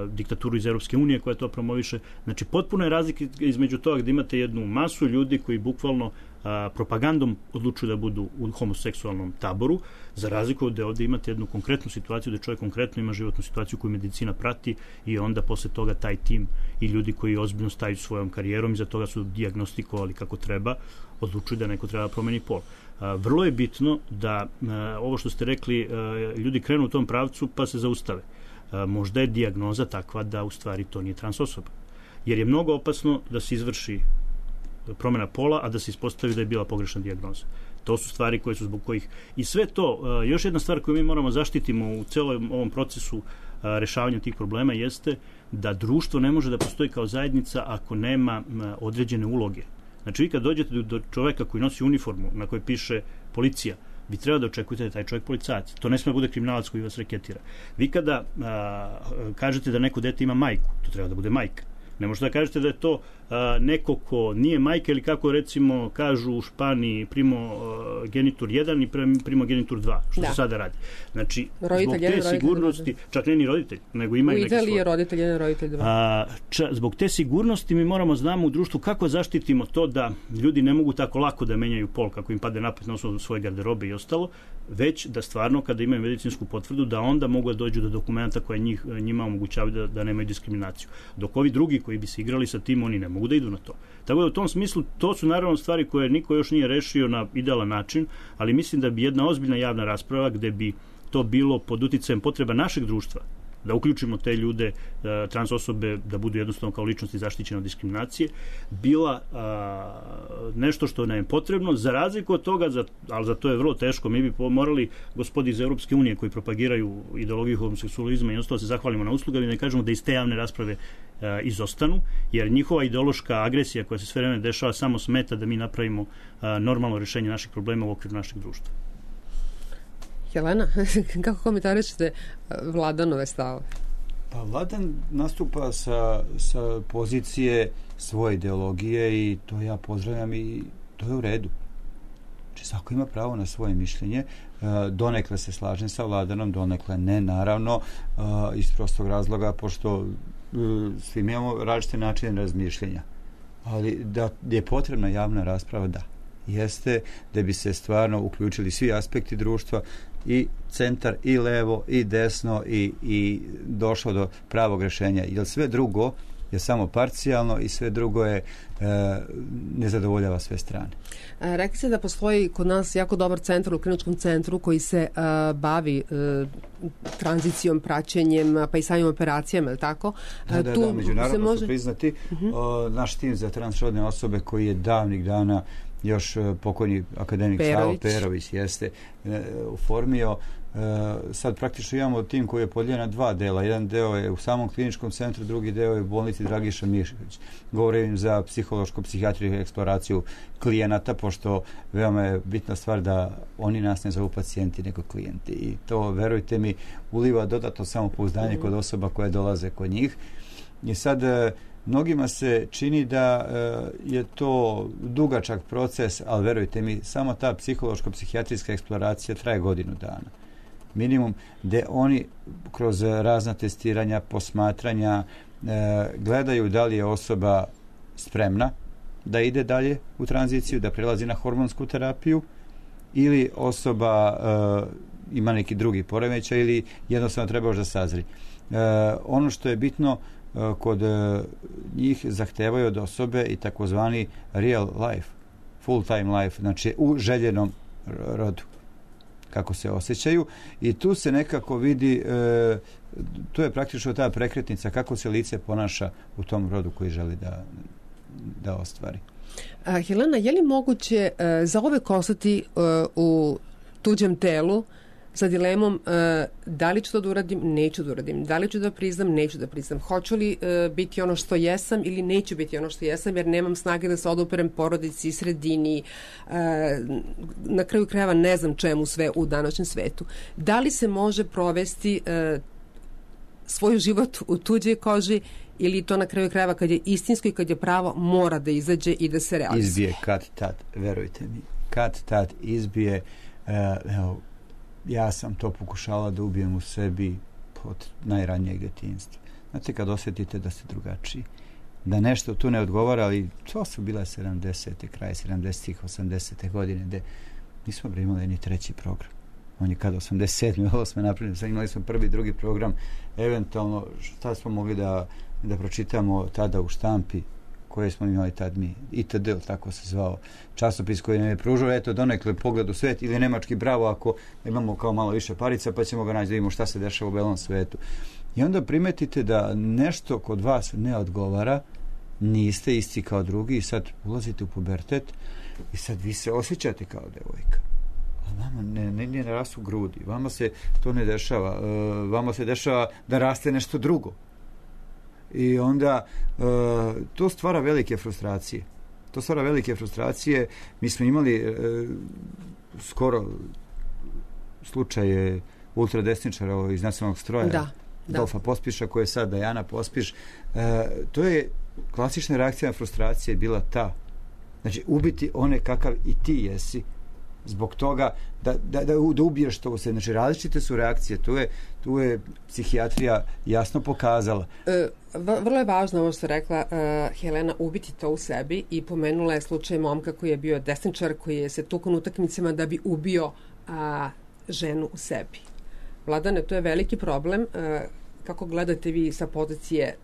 diktaturu iz Europske unije koja to promoviše. Znači, potpuno je razlika između toga gde imate jednu masu ljudi koji bukvalno a, propagandom odlučuju da budu u homoseksualnom taboru, za razliku da ovde imate jednu konkretnu situaciju da čovjek konkretno ima životnu situaciju koju medicina prati i onda posle toga taj tim i ljudi koji ozbiljno staju svojom karijerom i za toga su dijagnostikovali kako treba, odlučuju da neko treba promeni pol. A, vrlo je bitno da a, ovo što ste rekli, a, ljudi krenu u tom pravcu pa se zaustave. A, možda je dijagnoza takva da u stvari to nije trans osoba. Jer je mnogo opasno da se izvrši promjena pola, a da se ispostavi da je bila pogrešna dijagnoza. To su stvari koje su zbog kojih... I sve to, još jedna stvar koju mi moramo zaštitimo u celom ovom procesu rešavanja tih problema jeste da društvo ne može da postoji kao zajednica ako nema određene uloge. Znači, vi kad dođete do čoveka koji nosi uniformu na kojoj piše policija, vi treba da očekujete da je taj čovjek policajac. To ne sme bude kriminalac koji vas reketira. Vi kada a, kažete da neko dete ima majku, to treba da bude majka. Ne možete da kažete da je to a, neko ko nije majka ili kako recimo kažu u Španiji primo a, genitur jedan i primo genitur dva, što da. se sada radi. Znači, roditelj zbog te jedan, sigurnosti, roditelj čak ne ni roditelj, nego ima i neki svoj. U Italiji je roditelj jedan, roditelj dva. A, ča, zbog te sigurnosti mi moramo znamo u društvu kako zaštitimo to da ljudi ne mogu tako lako da menjaju pol kako im pade napad na osnovu svoje garderobe i ostalo, već da stvarno kada imaju medicinsku potvrdu da onda mogu da dođu do dokumenta koje njih, njima omogućavaju da, da nemaju diskriminaciju. Dok ovi drugi koji bi se igrali sa tim, oni ne mogu da idu na to. Tako da u tom smislu, to su naravno stvari koje niko još nije rešio na idealan način, ali mislim da bi jedna ozbiljna javna rasprava gde bi to bilo pod uticajem potreba našeg društva, da uključimo te ljude, trans osobe, da budu jednostavno kao ličnosti zaštićene od diskriminacije, bila a, nešto što nam je potrebno, za razliku od toga, za, ali za to je vrlo teško, mi bi morali gospodi iz Europske unije koji propagiraju ideologiju homoseksualizma i ostalo se zahvalimo na uslugama i da kažemo da iz te javne rasprave a, izostanu, jer njihova ideološka agresija koja se sve vreme dešava samo smeta da mi napravimo a, normalno rješenje naših problema u okviru našeg društva. Helena, kako komentarišete Vladanove stave? Pa Vladan nastupa sa, sa pozicije svoje ideologije i to ja pozdravljam i to je u redu. Znači, svako ima pravo na svoje mišljenje. Donekle se slažem sa Vladanom, donekle ne, naravno, iz prostog razloga, pošto svi imamo različite načine razmišljenja. Ali da je potrebna javna rasprava, da. Jeste da bi se stvarno uključili svi aspekti društva, i centar, i levo, i desno, i, i došlo do pravog rješenja. Jer sve drugo je samo parcijalno i sve drugo je e, ne zadovoljava sve strane. E, rekli ste da postoji kod nas jako dobar centar u kliničkom centru koji se e, bavi e, tranzicijom, praćenjem, pa i samim operacijama, je li tako? Da, da, tu da, međunarodno može... su priznati. Uh-huh. O, naš tim za transrodne osobe koji je davnih dana još pokojni akademik Savo Perović jeste e, oformio. E, sad praktično imamo tim koji je podijeljen na dva dela. Jedan deo je u samom kliničkom centru, drugi deo je u bolnici Dragiša Mišković. Govorim za psihološku psihijatriju i eksploraciju klijenata, pošto veoma je bitna stvar da oni nas ne zovu pacijenti, nego klijenti. I to, verujte mi, uliva dodatno samopouzdanje mm. kod osoba koje dolaze kod njih. I sad mnogima se čini da e, je to dugačak proces, ali verujte mi, samo ta psihološko-psihijatrijska eksploracija traje godinu dana. Minimum, gde oni kroz razna testiranja, posmatranja, e, gledaju da li je osoba spremna da ide dalje u tranziciju, da prelazi na hormonsku terapiju, ili osoba e, ima neki drugi poremećaj ili jednostavno treba još da sazri. E, ono što je bitno, kod njih zahtevaju od osobe i takozvani real life, full time life, znači u željenom rodu, kako se osjećaju, i tu se nekako vidi, e, to je praktično ta prekretnica kako se lice ponaša u tom rodu koji želi da, da ostvari. A, Helena, je li moguće e, zauvek ostati e, u tuđem telu sa dilemom e, da li ću to da uradim, neću da uradim, da li ću da priznam, neću da priznam, hoću li e, biti ono što jesam ili neću biti ono što jesam, jer nemam snage da se oduperem porodici, sredini, e, na kraju krajeva ne znam čemu sve u današnjem svetu. Da li se može provesti e, svoj život u tuđoj koži ili to na kraju krajeva kad je istinsko i kad je pravo mora da izađe i da se realizuje? Izbije kad tad, verujte mi. Kad tad izbije. Uh, evo, ja sam to pokušala da ubijem u sebi od najranijeg djetinjstva. Znate, kad osjetite da ste drugačiji, da nešto tu ne odgovara, ali to su bile sedamdesete, kraj sedamdesetih, osamdesete godine, gde nismo imali ni treći program. On je kada osamdeset sedme, osme napravili, sad imali smo prvi, drugi program, eventualno šta smo mogli da, da pročitamo tada u štampi, koje smo imali tad mi, itd., tako se zvao časopis koji nam je pružao, eto, donekle pogled u svet, ili nemački Bravo, ako imamo kao malo više parica, pa ćemo ga naći da vidimo šta se dešava u belom svetu. I onda primetite da nešto kod vas ne odgovara, niste isti kao drugi i sad ulazite u pubertet i sad vi se osjećate kao devojka. A vama ne, ne, ne rastu grudi, vama se to ne dešava, uh, vama se dešava da raste nešto drugo. I onda uh, to stvara velike frustracije. To stvara velike frustracije. Mi smo imali uh, skoro slučaje ultradesničara iz nacionalnog stroja, da, da. Dolfa Pospiša, koja je sad Dajana Pospiš. Uh, to je klasična reakcija na frustracije bila ta. Znači, ubiti one kakav i ti jesi, zbog toga da, da, da, da ubiješ to u sebi. Znači, različite su reakcije. Tu je, tu je psihijatrija jasno pokazala. E, vrlo je važno ovo što je rekla uh, Helena, ubiti to u sebi, i pomenula je slučaj momka koji je bio desničar, koji je se tukao na utakmicama da bi ubio uh, ženu u sebi. Vladane, to je veliki problem. Uh, kako gledate vi sa pozicije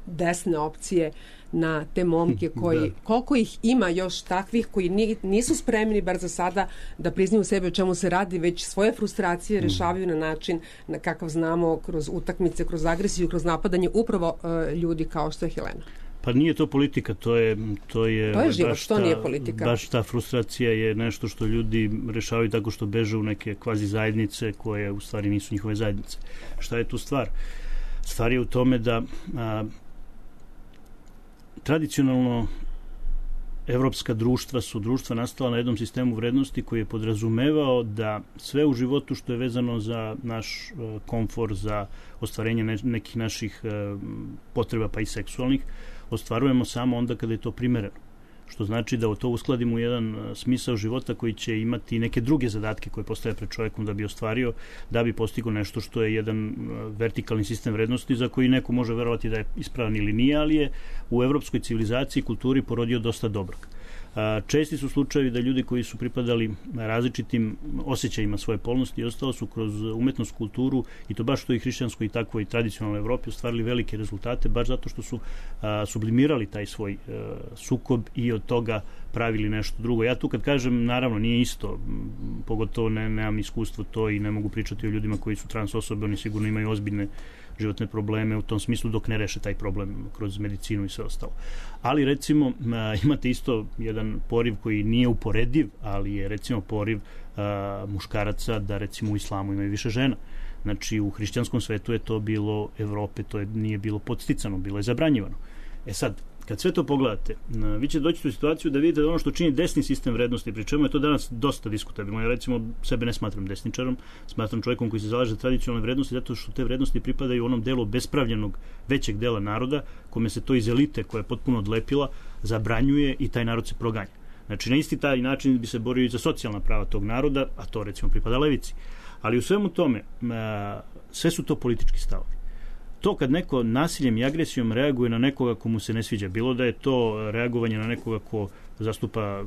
desne opcije na te momke koji, da. Koliko ih ima još takvih koji nisu spremni bar za sada da priznaju sebe o čemu se radi, već svoje frustracije rešavaju na način na kakav znamo, kroz utakmice, kroz agresiju, kroz napadanje upravo uh, ljudi kao što je Helena. Pa nije to politika, to je to je, to je život, baš to ta, nije politika. Baš ta frustracija je nešto što ljudi rešavaju tako što beže u neke kvazi zajednice koje u stvari nisu njihove zajednice. Šta je tu stvar? Stvar je u tome da a, tradicionalno evropska društva su društva nastala na jednom sistemu vrednosti koji je podrazumevao da sve u životu što je vezano za naš uh, komfor, za ostvarenje ne, nekih naših uh, potreba, pa i seksualnih, ostvarujemo samo onda kada je to primereno. Što znači da to uskladimo u jedan uh, smisao života koji će imati neke druge zadatke koje postaje pred čovjekom da bi ostvario, da bi postigao nešto što je jedan uh, vertikalni sistem vrednosti za koji neko može verovati da je ispravan ili nije, ali je u evropskoj civilizaciji i kulturi porodio dosta dobrog. Česti su slučajevi da ljudi koji su pripadali različitim osjećajima svoje polnosti i ostalo su kroz umetnost, kulturu, i to baš što i hrišćanskoj i tako i tradicionalnoj Evropi, ostvarili velike rezultate baš zato što su a, sublimirali taj svoj a, sukob i od toga pravili nešto drugo. Ja tu kad kažem, naravno nije isto, pogotovo ne, nemam iskustvo to i ne mogu pričati o ljudima koji su trans osobe, oni sigurno imaju ozbiljne životne probleme u tom smislu dok ne reše taj problem kroz medicinu i sve ostalo. Ali recimo imate isto jedan poriv koji nije uporediv, ali je recimo poriv a, muškaraca da recimo u islamu imaju više žena. Znači u hrišćanskom svetu je to bilo Evrope, to je, nije bilo podsticano, bilo je zabranjivano. E sad, kad sve to pogledate, vi ćete doći u situaciju da vidite da ono što čini desni sistem vrednosti, pri čemu je to danas dosta diskutabilno. Ja recimo sebe ne smatram desničarom, smatram čovjekom koji se zalaže za tradicionalne vrednosti zato što te vrednosti pripadaju onom delu bespravljenog većeg dela naroda, kome se to iz elite koja je potpuno odlepila zabranjuje i taj narod se proganja. Znači na isti taj način bi se borio i za socijalna prava tog naroda, a to recimo pripada levici. Ali u svemu tome, sve su to politički stavovi. To kad neko nasiljem i agresijom reaguje na nekoga komu se ne sviđa, bilo da je to reagovanje na nekoga ko zastupa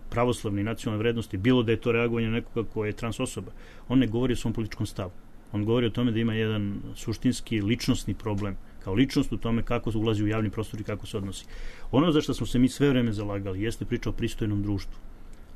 pravoslavne i nacionalne vrednosti, bilo da je to reagovanje na nekoga ko je trans osoba, on ne govori o svom političkom stavu. On govori o tome da ima jedan suštinski ličnosni problem, kao ličnost u tome kako se ulazi u javni prostor i kako se odnosi. Ono za što smo se mi sve vreme zalagali jeste priča o pristojnom društvu.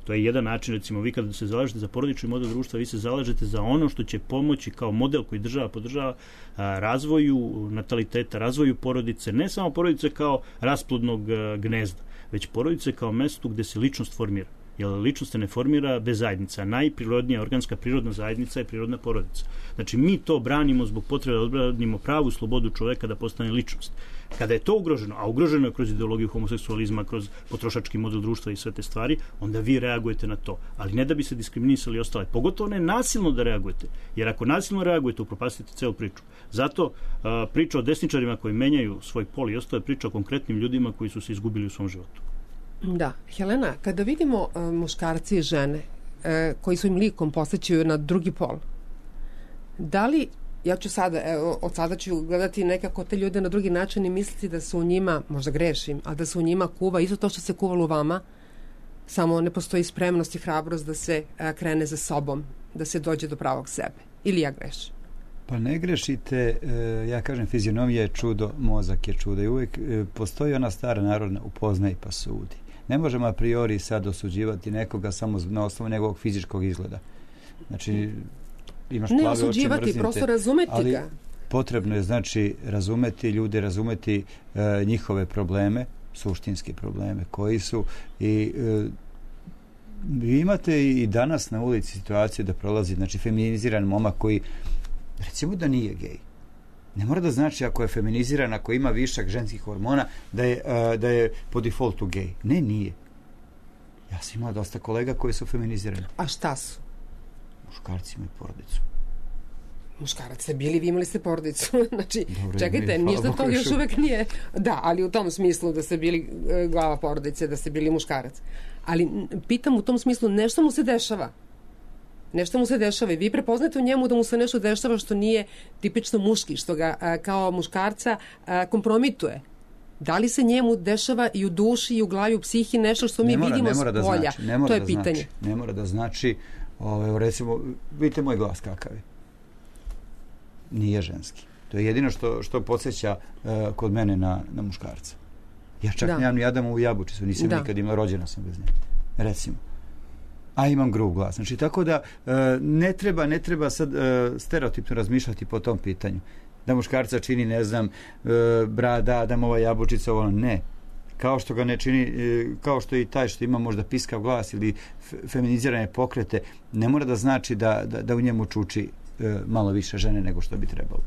To je jedan način, recimo, vi kada se zalažete za porodični model društva, vi se zalažete za ono što će pomoći kao model koji država podržava a, razvoju nataliteta, razvoju porodice, ne samo porodice kao rasplodnog a, gnezda, već porodice kao mesto gde se ličnost formira. jer ličnost se ne formira bez zajednica. Najprirodnija organska prirodna zajednica je prirodna porodica. Znači, mi to branimo zbog potrebe da odbranimo pravu slobodu čoveka da postane ličnost. Kada je to ugroženo, a ugroženo je kroz ideologiju homoseksualizma, kroz potrošački model društva i sve te stvari, onda vi reagujete na to. Ali ne da bi se diskriminisali i ostale. Pogotovo ne nasilno da reagujete. Jer ako nasilno reagujete, upropastite celu priču. Zato a, priča o desničarima koji menjaju svoj pol i ostale priča o konkretnim ljudima koji su se izgubili u svom životu. Da. Helena, kada vidimo uh, muškarci i žene uh, koji svojim likom posjećaju na drugi pol, da li, ja ću sada, evo, od sada ću gledati nekako te ljude na drugi način i misliti da su u njima, možda grešim, ali da su u njima kuva isto to što se kuvalo u vama, samo ne postoji spremnost i hrabrost da se uh, krene za sobom, da se dođe do pravog sebe. Ili ja grešim? Pa ne grešite, ja kažem, fizionomija je čudo, mozak je čudo i uvijek postoji ona stara narodna upoznaj pa sudi. Ne možemo a priori sad osuđivati nekoga samo na osnovu njegovog fizičkog izgleda. Znači, imaš plave oči, osuđivati, mrznite, prosto razumeti ali ga. Potrebno je, znači, razumeti ljude, razumeti e, njihove probleme, suštinske probleme koji su i e, vi imate i danas na ulici situaciju da prolazi, znači, feminiziran momak koji recimo da nije gej. Ne mora da znači ako je feminiziran, ako ima višak ženskih hormona, da je, uh, da je po defaultu gej. Ne, nije. Ja sam imao dosta kolega koji su feminizirani. A šta su? Muškarci imaju porodicu. Muškarac ste bili, vi imali ste porodicu. Znači, Dobre, čekajte, ništa to još uvek nije. Da, ali u tom smislu da ste bili uh, glava porodice, da ste bili muškarac. Ali pitam u tom smislu, nešto mu se dešava. Nešto mu se dešava i vi prepoznate u njemu da mu se nešto dešava što nije tipično muški, što ga a, kao muškarca a, kompromituje. Da li se njemu dešava i u duši i u glavi, u psihi nešto što mi mora, vidimo s polja? Znači, ne mora to je da pitanje. Znači, ne mora da znači, ove, recimo, vidite moj glas kakav je. Nije ženski. To je jedino što, što podsjeća uh, kod mene na, na muškarca. Ja čak nemam ni Adamu u jabučicu, nisam da. nikad imala, rođena sam bez nje. Recimo. A imam grub glas. Znači, tako da uh, ne treba, ne treba sad uh, stereotipno razmišljati po tom pitanju. Da muškarca čini, ne znam, uh, brada, Adamova jabučica, ono, ne. Kao što ga ne čini, uh, kao što i taj što ima možda piskav glas ili feminizirane pokrete, ne mora da znači da, da, da u njemu čuči uh, malo više žene nego što bi trebalo.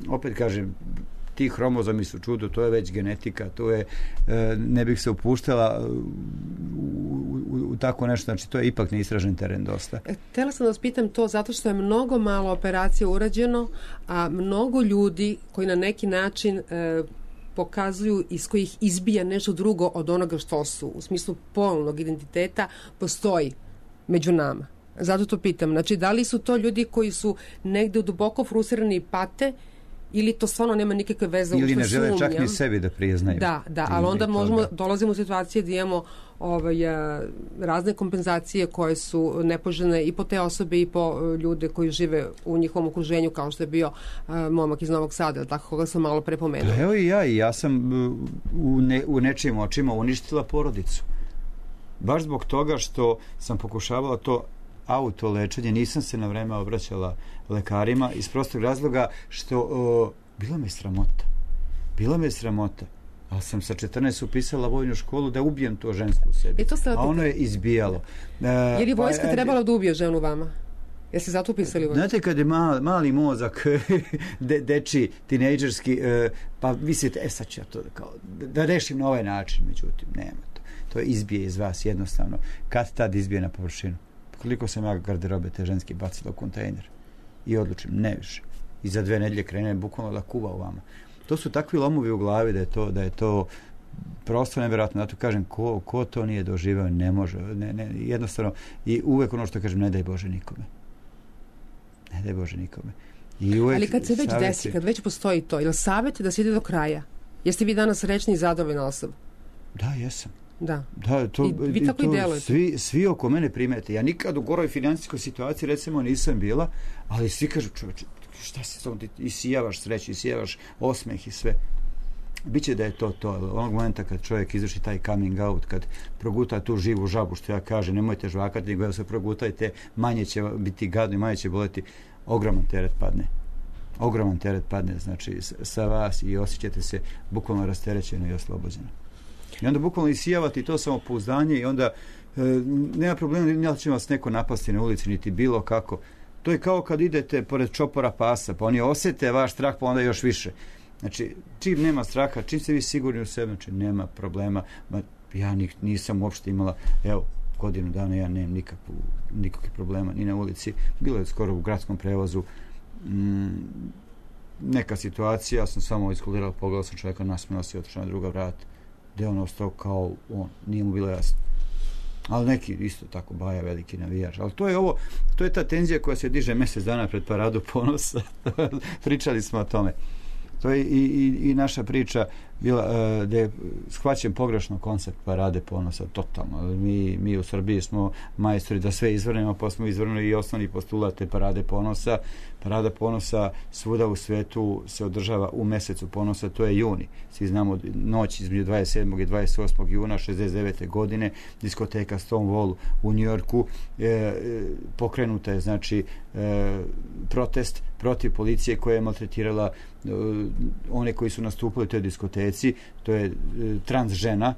Opet kažem, ti hromozomi su čudo, to je već genetika, to je, ne bih se upuštala u, u, u tako nešto, znači to je ipak neistražen teren dosta. Htjela sam da vas pitam to zato što je mnogo malo operacija urađeno, a mnogo ljudi koji na neki način e, pokazuju iz kojih izbija nešto drugo od onoga što su, u smislu polnog identiteta, postoji među nama. Zato to pitam. Znači, da li su to ljudi koji su negde duboko frustrirani i pate, ili to stvarno nema nikakve veze? Ili ne žele sumnjam. Čak ni sebi da priznaju. Da, da, ali onda možemo, toga. dolazimo u situacije da imamo ovaj, razne kompenzacije koje su nepoželjne i po te osobe i po ljude koji žive u njihovom okruženju, kao što je bio uh, momak iz Novog Sada, tako koga sam malo prepomenuo. Evo i ja, i ja sam u, ne, u nečijim očima uništila porodicu. Baš zbog toga što sam pokušavala to auto lečenje, nisam se na vreme obraćala lekarima iz prostog razloga što o, bilo me sramota. Bilo me sramota. Ali sam sa četrnaest upisala vojnu školu da ubijem to žensko u sebi. E to a ono je izbijalo. E, je li vojska pa, trebala da ubije ženu vama? Jeste zato upisali vojnu? Znate, kad je mali, mali mozak, de, deči, tinejdžerski, e, pa mislite, e sad ću ja to kao, da rešim na ovaj način, međutim, nema to. To izbije iz vas jednostavno. Kad tad izbije na površinu? Koliko sam ja garderobe te ženske bacila u kontejner i odlučim, ne više. I za dve nedelje krene bukvalno da kuva u vama. To su takvi lomovi u glavi da je to, da je to prosto nevjerojatno. Zato kažem, ko, ko to nije doživao, ne može. Ne, ne, jednostavno, i uvek ono što kažem, ne daj Bože nikome. Ne daj Bože nikome. I uvek, ali kad se već savjeti... desi, kad već postoji to, je li savjet da se ide do kraja? Jeste vi danas srećni i zadovoljna osoba? Da, jesam. Da. Da, to, I vi tako to, i delujete. Svi, svi oko mene primete. Ja nikad u goroj financijskoj situaciji recimo nisam bila, ali svi kažu, čovječe, šta se to, ti isijavaš sreću, isijavaš osmeh i sve. Biće da je to to. Onog momenta kad čovjek izvrši taj coming out, kad proguta tu živu žabu, što ja kažem, nemojte žvakati, nego da se progutajte, manje će biti gadno i manje će boleti, ogroman teret padne. Ogroman teret padne, znači, sa vas i osjećate se bukvalno rasterećeno i oslobođeno. I onda bukvalno isijavati to samopouzdanje i onda E, nema problema, ne će vas neko napasti na ulici, niti bilo kako. To je kao kad idete pored čopora pasa, pa oni osete vaš strah, pa onda još više. Znači, čim nema straha, čim ste vi sigurni u sebi, znači nema problema. Ma, ja nisam uopšte imala, evo, godinu dana ja nemam nikakvu, nikakvih problema ni na ulici. Bilo je skoro u gradskom prevozu mm, neka situacija, ja sam samo iskulirala, pogledala sam čovjeka, nasmijala se i otišla na druga vrata, gde on ostao kao on, nije mu bilo jasno. Ali neki isto tako baja, veliki navijač. Ali to je ovo, to je ta tenzija koja se diže mjesec dana pred Paradu ponosa. Pričali smo o tome. To je i, i, i naša priča bila uh, gdje je shvaćen pogrešno koncept Parade ponosa, totalno. Mi, mi u Srbiji smo majstori da sve izvrnemo, pa smo izvrnuli i osnovni postulat te Parade ponosa. Parada ponosa svuda u svetu se održava u mjesecu ponosa, to je juni. Svi znamo noć između dvadeset sedmog i dvadeset osmog juna šezdeset devete godine, diskoteka Stonewall u Njujorku, e, pokrenuta je znači e, protest protiv policije koja je maltretirala e, one koji su nastupili u toj diskoteci, to je e, trans žena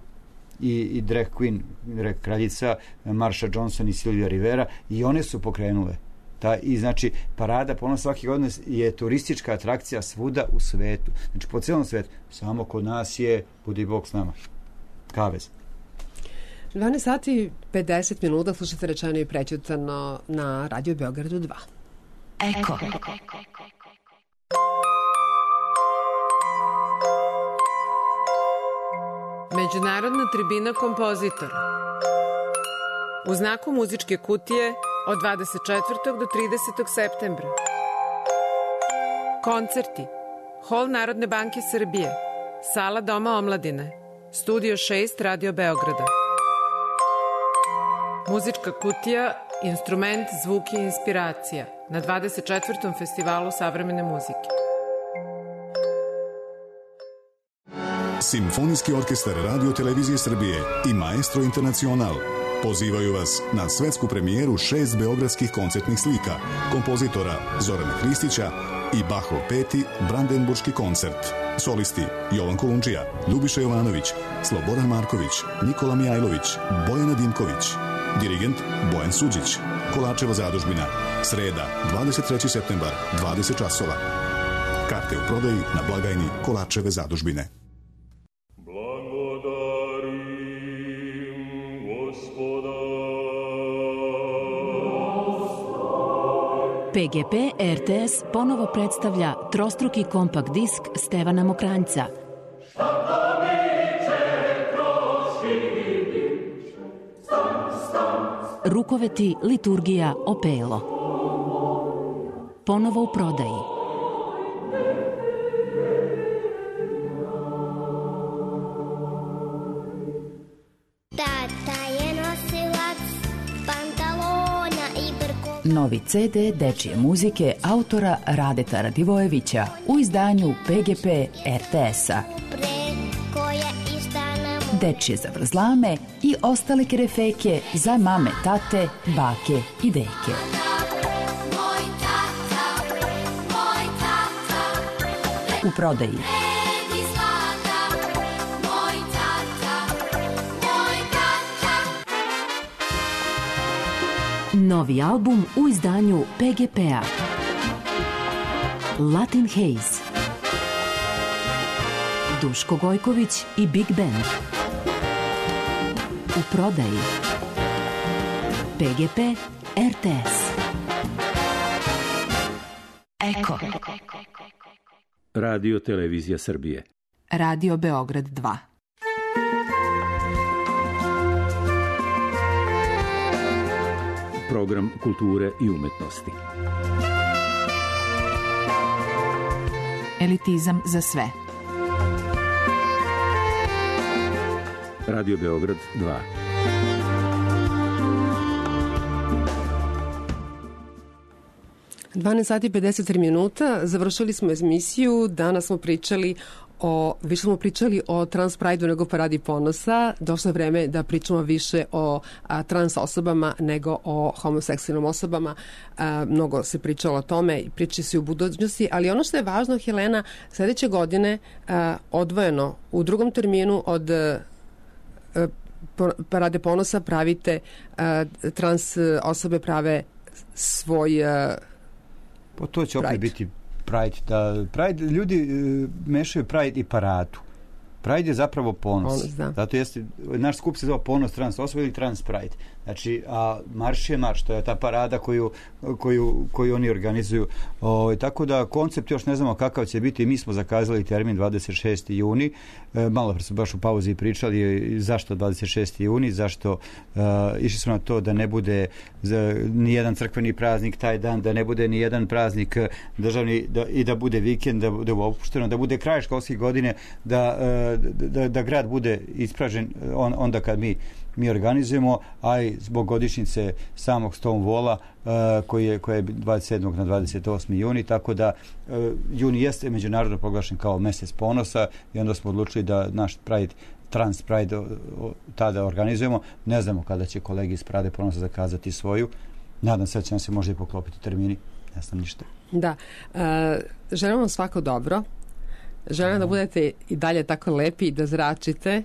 i, i drag queen, drag kraljica Marsha Johnson i Sylvia Rivera, i one su pokrenule. Ta, i znači Parada ponosa svake godine je turistička atrakcija svuda u svetu, znači po cijelom svetu, samo kod nas je budi Bog s nama, kavez. dvanaest sati pedeset minuta, slušate Rečeno i prećutano na Radio Beogradu dva. Eko. Međunarodna tribina kompozitora. U znaku muzičke kutije od dvadeset četvrtog do tridesetog septembra. Koncerti. Hol Narodne banke Srbije. Sala Doma omladine. Studio šest Radio Beograda. Muzička kutija, instrument, zvuk i inspiracija na dvadeset četvrtom festivalu savremene muzike. Simfonijski orkestar Radio Televizije Srbije i Maestro Internacional pozivaju vas na svetsku premijeru šest beogradskih koncertnih slika kompozitora Zorana Hristića i Bachov peti Brandenburški koncert. Solisti Jovan Kolundžija, Ljubiša Jovanović, Slobodan Marković, Nikola Mijajlović, Bojana Dimković. Dirigent Bojan Suđić. Kolačeva zadužbina. Sreda, dvadeset treći septembar, dvadeset časova. Karte u prodaji na blagajni Kolačeve zadužbine. P G P R T S ponovo predstavlja trostruki kompakt disk Stevana Mokranjca. Rukoveti, liturgija, opelo. Ponovo u prodaji. Tata je nosilac pantalona i brko. Novi C D dečije muzike autora Radeta Radivojevića u izdanju P G P R T S-a. Dečije zavrzlame i ostale kerefeke za mame, tate, bake i deke. U prodaji. Novi album u izdanju P G P-a. Latin Haze. Duško Gojković i Big Band. U prodaji. P G P R T S. Eko. Radio Televizija Srbije. Radio Beograd dva. Program kulture i umetnosti. Elitizam za sve. Radio Beograd dva. dvanaest sati pedeset tri minuta, završili smo emisiju, danas smo pričali o, više smo pričali o Trans Prideu nego Paradi ponosa, došlo je vreme da pričamo više o a, trans osobama nego o homoseksualnim osobama, a, mnogo se pričalo o tome i priči se u budućnosti, ali ono što je važno, Helena, sljedeće godine a, odvojeno u drugom terminu od Parade ponosa pravite, uh, trans osobe prave svoj uh, Pa to će opet Pride. biti Pride. Da, Pride, ljudi uh, mešaju Pride i paradu. Pride je zapravo ponos. Ponos, da. Zato jeste, naš skup se zove Ponos trans osoba ili Trans Pride. Znači, a marš je marš, to je ta parada koju, koju, koju oni organizuju. O, tako da koncept još ne znamo kakav će biti. Mi smo zakazali termin dvadeset šesti juni. E, malo pre smo baš u pauzi pričali zašto dvadeset šesti juni, zašto e, išli smo na to da ne bude za, ni jedan crkveni praznik taj dan, da ne bude ni jedan praznik državni da, i da bude vikend, da bude opušteno, da bude kraj školske godine, da, e, da, da grad bude ispražen on, onda kad mi mi organizujemo, a i zbog godišnjice samog Stonewalla uh, koji je, koji je dvadeset sedmog na dvadeset osmi juni, tako da uh, juni jeste međunarodno proglašen kao mesec ponosa i onda smo odlučili da naš Pride, Trans Pride o, o, tada organizujemo. Ne znamo kada će kolegi iz Parade ponosa zakazati svoju. Nadam se da će nam se možda i poklopiti termini. Ne znam ništa. Da. Uh, želim vam svako dobro. Želim da budete i dalje tako lepi i da zračite.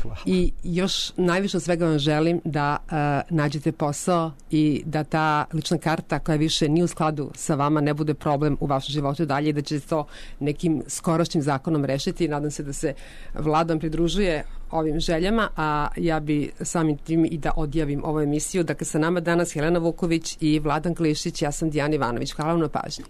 Hvala. I još najviše od svega vam želim da uh, nađete posao i da ta lična karta koja više nije u skladu sa vama ne bude problem u vašem životu dalje i da će to nekim skorošnjim zakonom rešiti. Nadam se da se Vladan pridružuje ovim željama, a ja bi samim tim i da odjavim ovu emisiju. Dakle, sa nama danas Helena Vuković i Vladan Klišić, ja sam Dijana Ivanović. Hvala vam na pažnji.